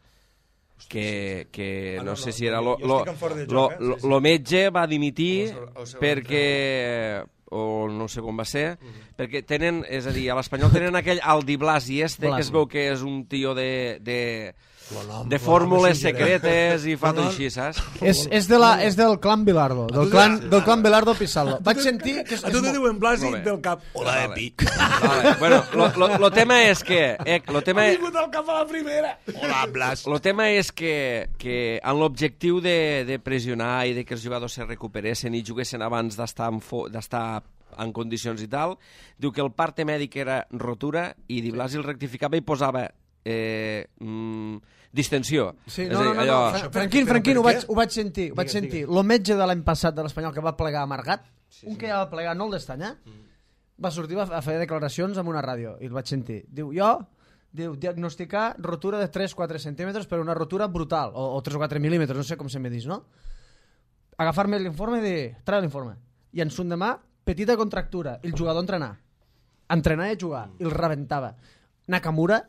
que no sé si era lo metge va dimitir perquè o no sé com va ser, perquè tenen, és a dir, a l'Espanyol tenen aquell Aldi Blasi que es veu que és un tio de fórmules secretes i fa tot així, saps? És del clan Bilardo, del clan Bilardo Pizarro. Vaig sentir que... A tu te diuen Blasi del cap. Hola, Epi. Bueno, lo tema és que... Ha vingut al cap a la primera. Hola, Blas. Lo tema és que en l'objectiu de pressionar i de que els jugadors se recuperessin i juguessin abans d'estar en condicions i tal, diu que el parte mèdic era rotura i Di Blasi el rectificava i posava distensió. Sí, no. Franquín, ho vaig sentir. Lo metge de l'any passat de l'Espanyol que va plegar amargat, un que ja va plegar, no el d'estanyar, va sortir a fer declaracions en una ràdio i el vaig sentir. Diu, diu, diagnosticar rotura de 3-4 centímetres per una rotura brutal, o 3 o 4 mil·límetres, no sé com se me dis, no? Agafar-me l'informe i dir, treu l'informe. I en son demà, petita contractura, el jugador entrenar i jugar, i el rebentava. Nakamura,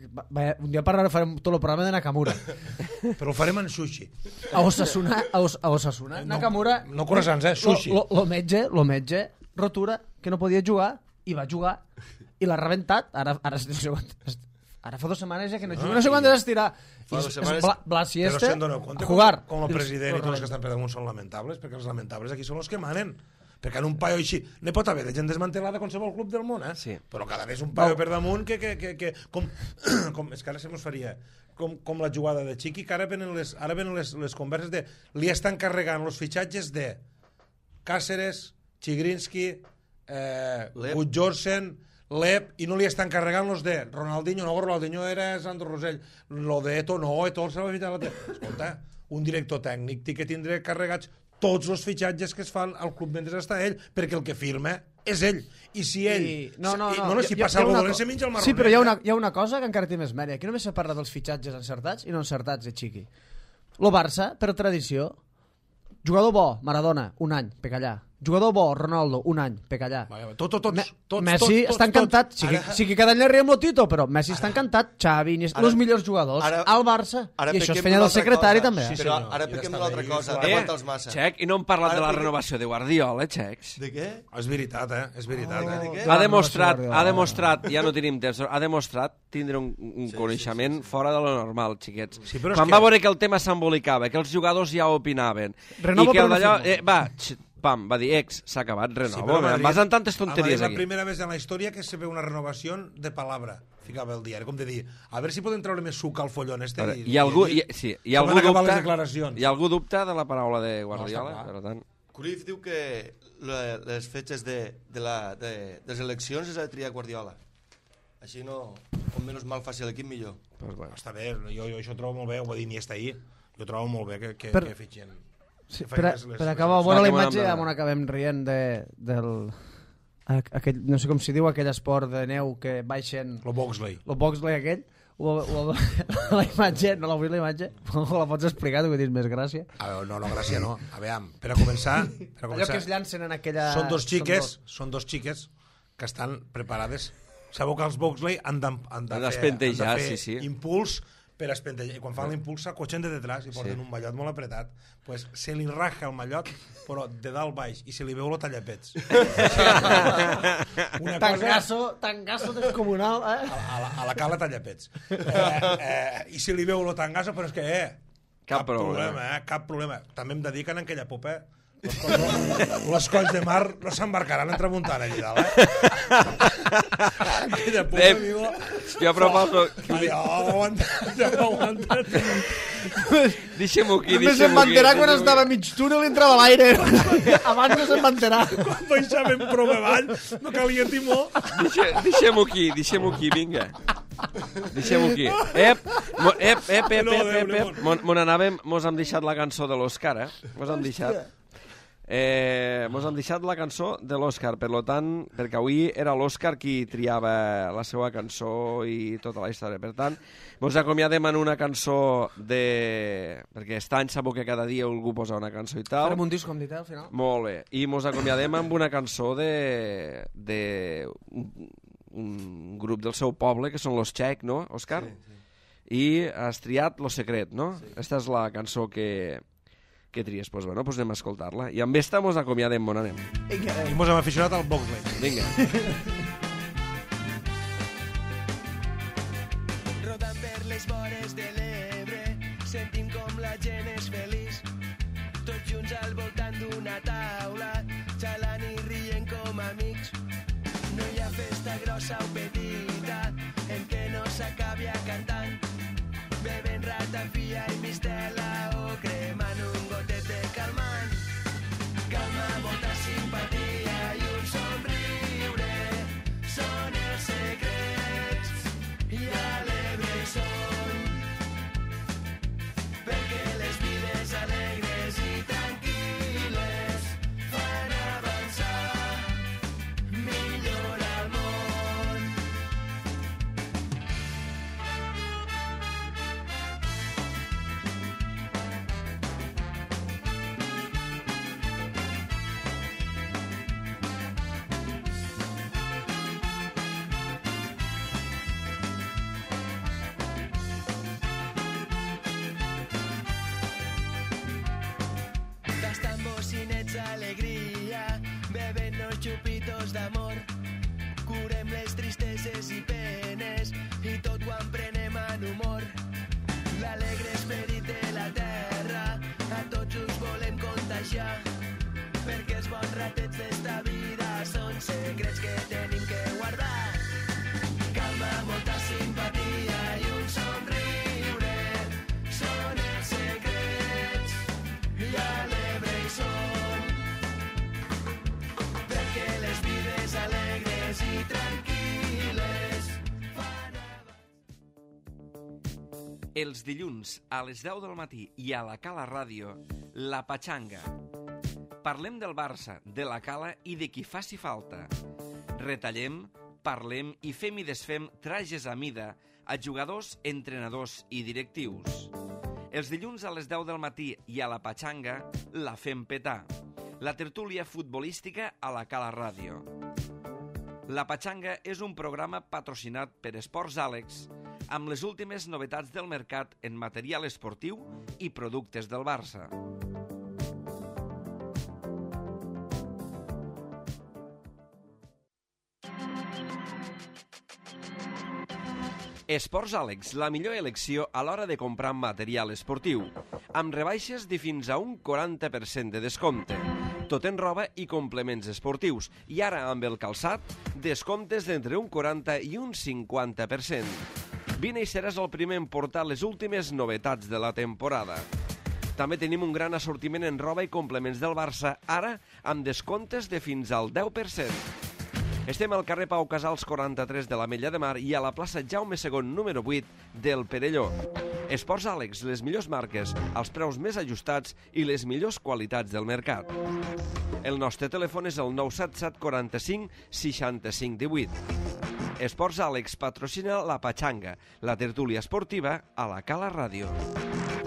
un dia farem tot el programa de Nakamura. Però ho farem en sushi. A Osasuna. Nakamura... No croissants, sushi. Lo metge, rotura, que no podia jugar, i va jugar, i l'ha rebentat. Ara fa 2 setmanes ja que no juga, no sé quan d'estirar. Fa 2 setmanes... Blas i Però este, si en doneu compte a jugar. com el president i tots els que estan per damunt són lamentables, perquè els lamentables aquí són els que manen. Perquè en un paio així n'hi pot haver de gent desmantelada a qualsevol club del món, Sí. Però cada vegada un paio per damunt que com és que ara se mos faria com la jugada de Chiqui, que ara venen les converses de li estan carregant els fitxatges de Cáceres, Chigrinsky, Gudjorsen, Lep, i no li estan carregant los de Ronaldinho. No, Ronaldinho era Sandro Rosell. Lo de Eto no, Eto el s'ha fitxat. Escolta, un director tècnic té que tindre carregats tots els fitxatges que es fan al club mentre està ell, perquè el que firma és ell. I si ell... si passa algo dolent, se menja el marronet. Sí, però hi ha una cosa que encara té més mèria. Aquí només se parla dels fitxatges encertats i no encertats de Chiqui. Lo Barça, per tradició, jugador bo, Maradona, un any, pecallà. Jugador bo, Ronaldo, un any, pecallà. Tots. Messi està encantat. Sí que cada any li riem lo Tito, però Messi està encantat. Xavi, els millors jugadors al Barça. I això es feia del secretari també. Però ara pequem d'una altra cosa. Aguanta'ls massa. Xec, i no hem parlat de la renovació de Guardiola, Xecs. De què? És veritat, És veritat, Ha demostrat, ja no tenim temps, ha demostrat tindre un coneixement fora de lo normal, xiquets. Quan va veure que el tema s'embolicava, que els jugadors ja opinaven, i que d'allò... Pam, va dir, s'ha acabat, renova. Vas en tantes tonteries aquí. aquí. És la primera vegada en la història que se ve una renovació de palabra, ficava el diari, com de dir, a veure si podem treure més suc al follon este. Hi ha algú dubta de la paraula de Guardiola, per tant... Cruyff diu que les fetges de les eleccions és a triar Guardiola. Així no, com menys mal faci l'equip millor. Està bé, jo això ho trobo molt bé, ho va dir Iniesta ahir, jo trobo molt bé que fitxen. Sí, per acabar bona la imatge, on acabem rient del... no sé com s'hi diu, aquell esport de neu que baixen... Lo Boxley aquell. La imatge, no l'ha vist la imatge? La pots explicar, tu que tens més gràcia? No, gràcia no. A veure, per a començar... Allò que es llancen en aquella... Són dos xiques que estan preparades. Sabeu que els Boxley han de fer impuls per espentellar. I quan fan l'impuls s'acotxen de detrás i porten un mallot molt apretat. Pues se li raja el mallot, però de dalt baix, i se li veu lo tallapets. Tangasso descomunal, a la cala tallapets. I se li veu lo tangasso, però és que, cap problema. També em dediquen en aquella popa, les colls de mar no s'embarcaran en tramuntana allà dalt, aquella popa, amigo. Jo proposo... Allò, aguanta't. Deixem-ho aquí. Només se'n va enterar quan estava mig túnel i entrava a l'aire. Abans no se'n va enterar. Quan baixàvem prou avall, no calia timó. Deixem-ho aquí, vinga. Deixem-ho aquí. Mos hem deixat la cançó de l'Òscar, Mos hem deixat la cançó de l'Òscar, per tant, perquè avui era l'Òscar qui triava la seva cançó i tota la història. Per tant, mos acomiadem en una cançó perquè està en sabó que cada dia algú posa una cançó i tal. Farem un disc, com dit, al final. Molt bé. I mos acomiadem amb una cançó de un grup del seu poble, que són los Txec, no, Òscar? Sí. I has triat Lo Secret, no? Sí. Esta és la cançó que tries. Pues bueno, pues anem a escoltar-la. I amb esta mos acomiadem, on anem. I mos hem aficionat al Boxley. Vinga. Rodant per les vores de l'Ebre, sentim com la gent és feliç. Tots junts al voltant d'una taula, xalant i rient com amics. No hi ha festa grossa o petita en què no s'acabi cantant, bevent ratafia i mistela o cremant un gotet de calmant. Calma, molta simpatia i un somriure són els secrets i alegres són, perquè les vides alegres i tranquil·les fan avançar millor al món. cançons d'amor. Curem les tristeses i penes i tot ho emprenem en humor. L'alegre esperit de la terra a tots us volem contagiar, perquè els bons ratets d'esta vida són secrets que tenim que guardar. Calma, molta simpatia i un somriure són els secrets i alegre hi som, perquè les vides alegres i tranquil·les fan Els dilluns a les 10 del matí i a la Cala Ràdio, La Patxanga. Parlem del Barça, de la Cala i de qui faci falta. Retallem, parlem i fem i desfem trajes a mida a jugadors, entrenadors i directius. Els dilluns a les 10 del matí i a la Patxanga la fem petar. La tertúlia futbolística a la Cala Ràdio. La Patxanga és un programa patrocinat per Esports Àlex amb les últimes novetats del mercat en material esportiu i productes del Barça. Esports Àlex, la millor elecció a l'hora de comprar material esportiu, amb rebaixes de fins a un 40% de descompte. Tot en roba i complements esportius, i ara amb el calçat, descomptes d'entre un 40 i un 50%. Vine i seràs el primer en portar les últimes novetats de la temporada. També tenim un gran assortiment en roba i complements del Barça, ara amb descomptes de fins al 10%. Estem al carrer Pau Casals 43 de l'Ametlla de Mar i a la plaça Jaume II número 8 del Perelló. Esports Àlex, les millors marques, els preus més ajustats i les millors qualitats del mercat. El nostre telèfon és el 977 45 65 18. Esports Àlex patrocina La Patxanga, la tertúlia esportiva a la Cala Ràdio.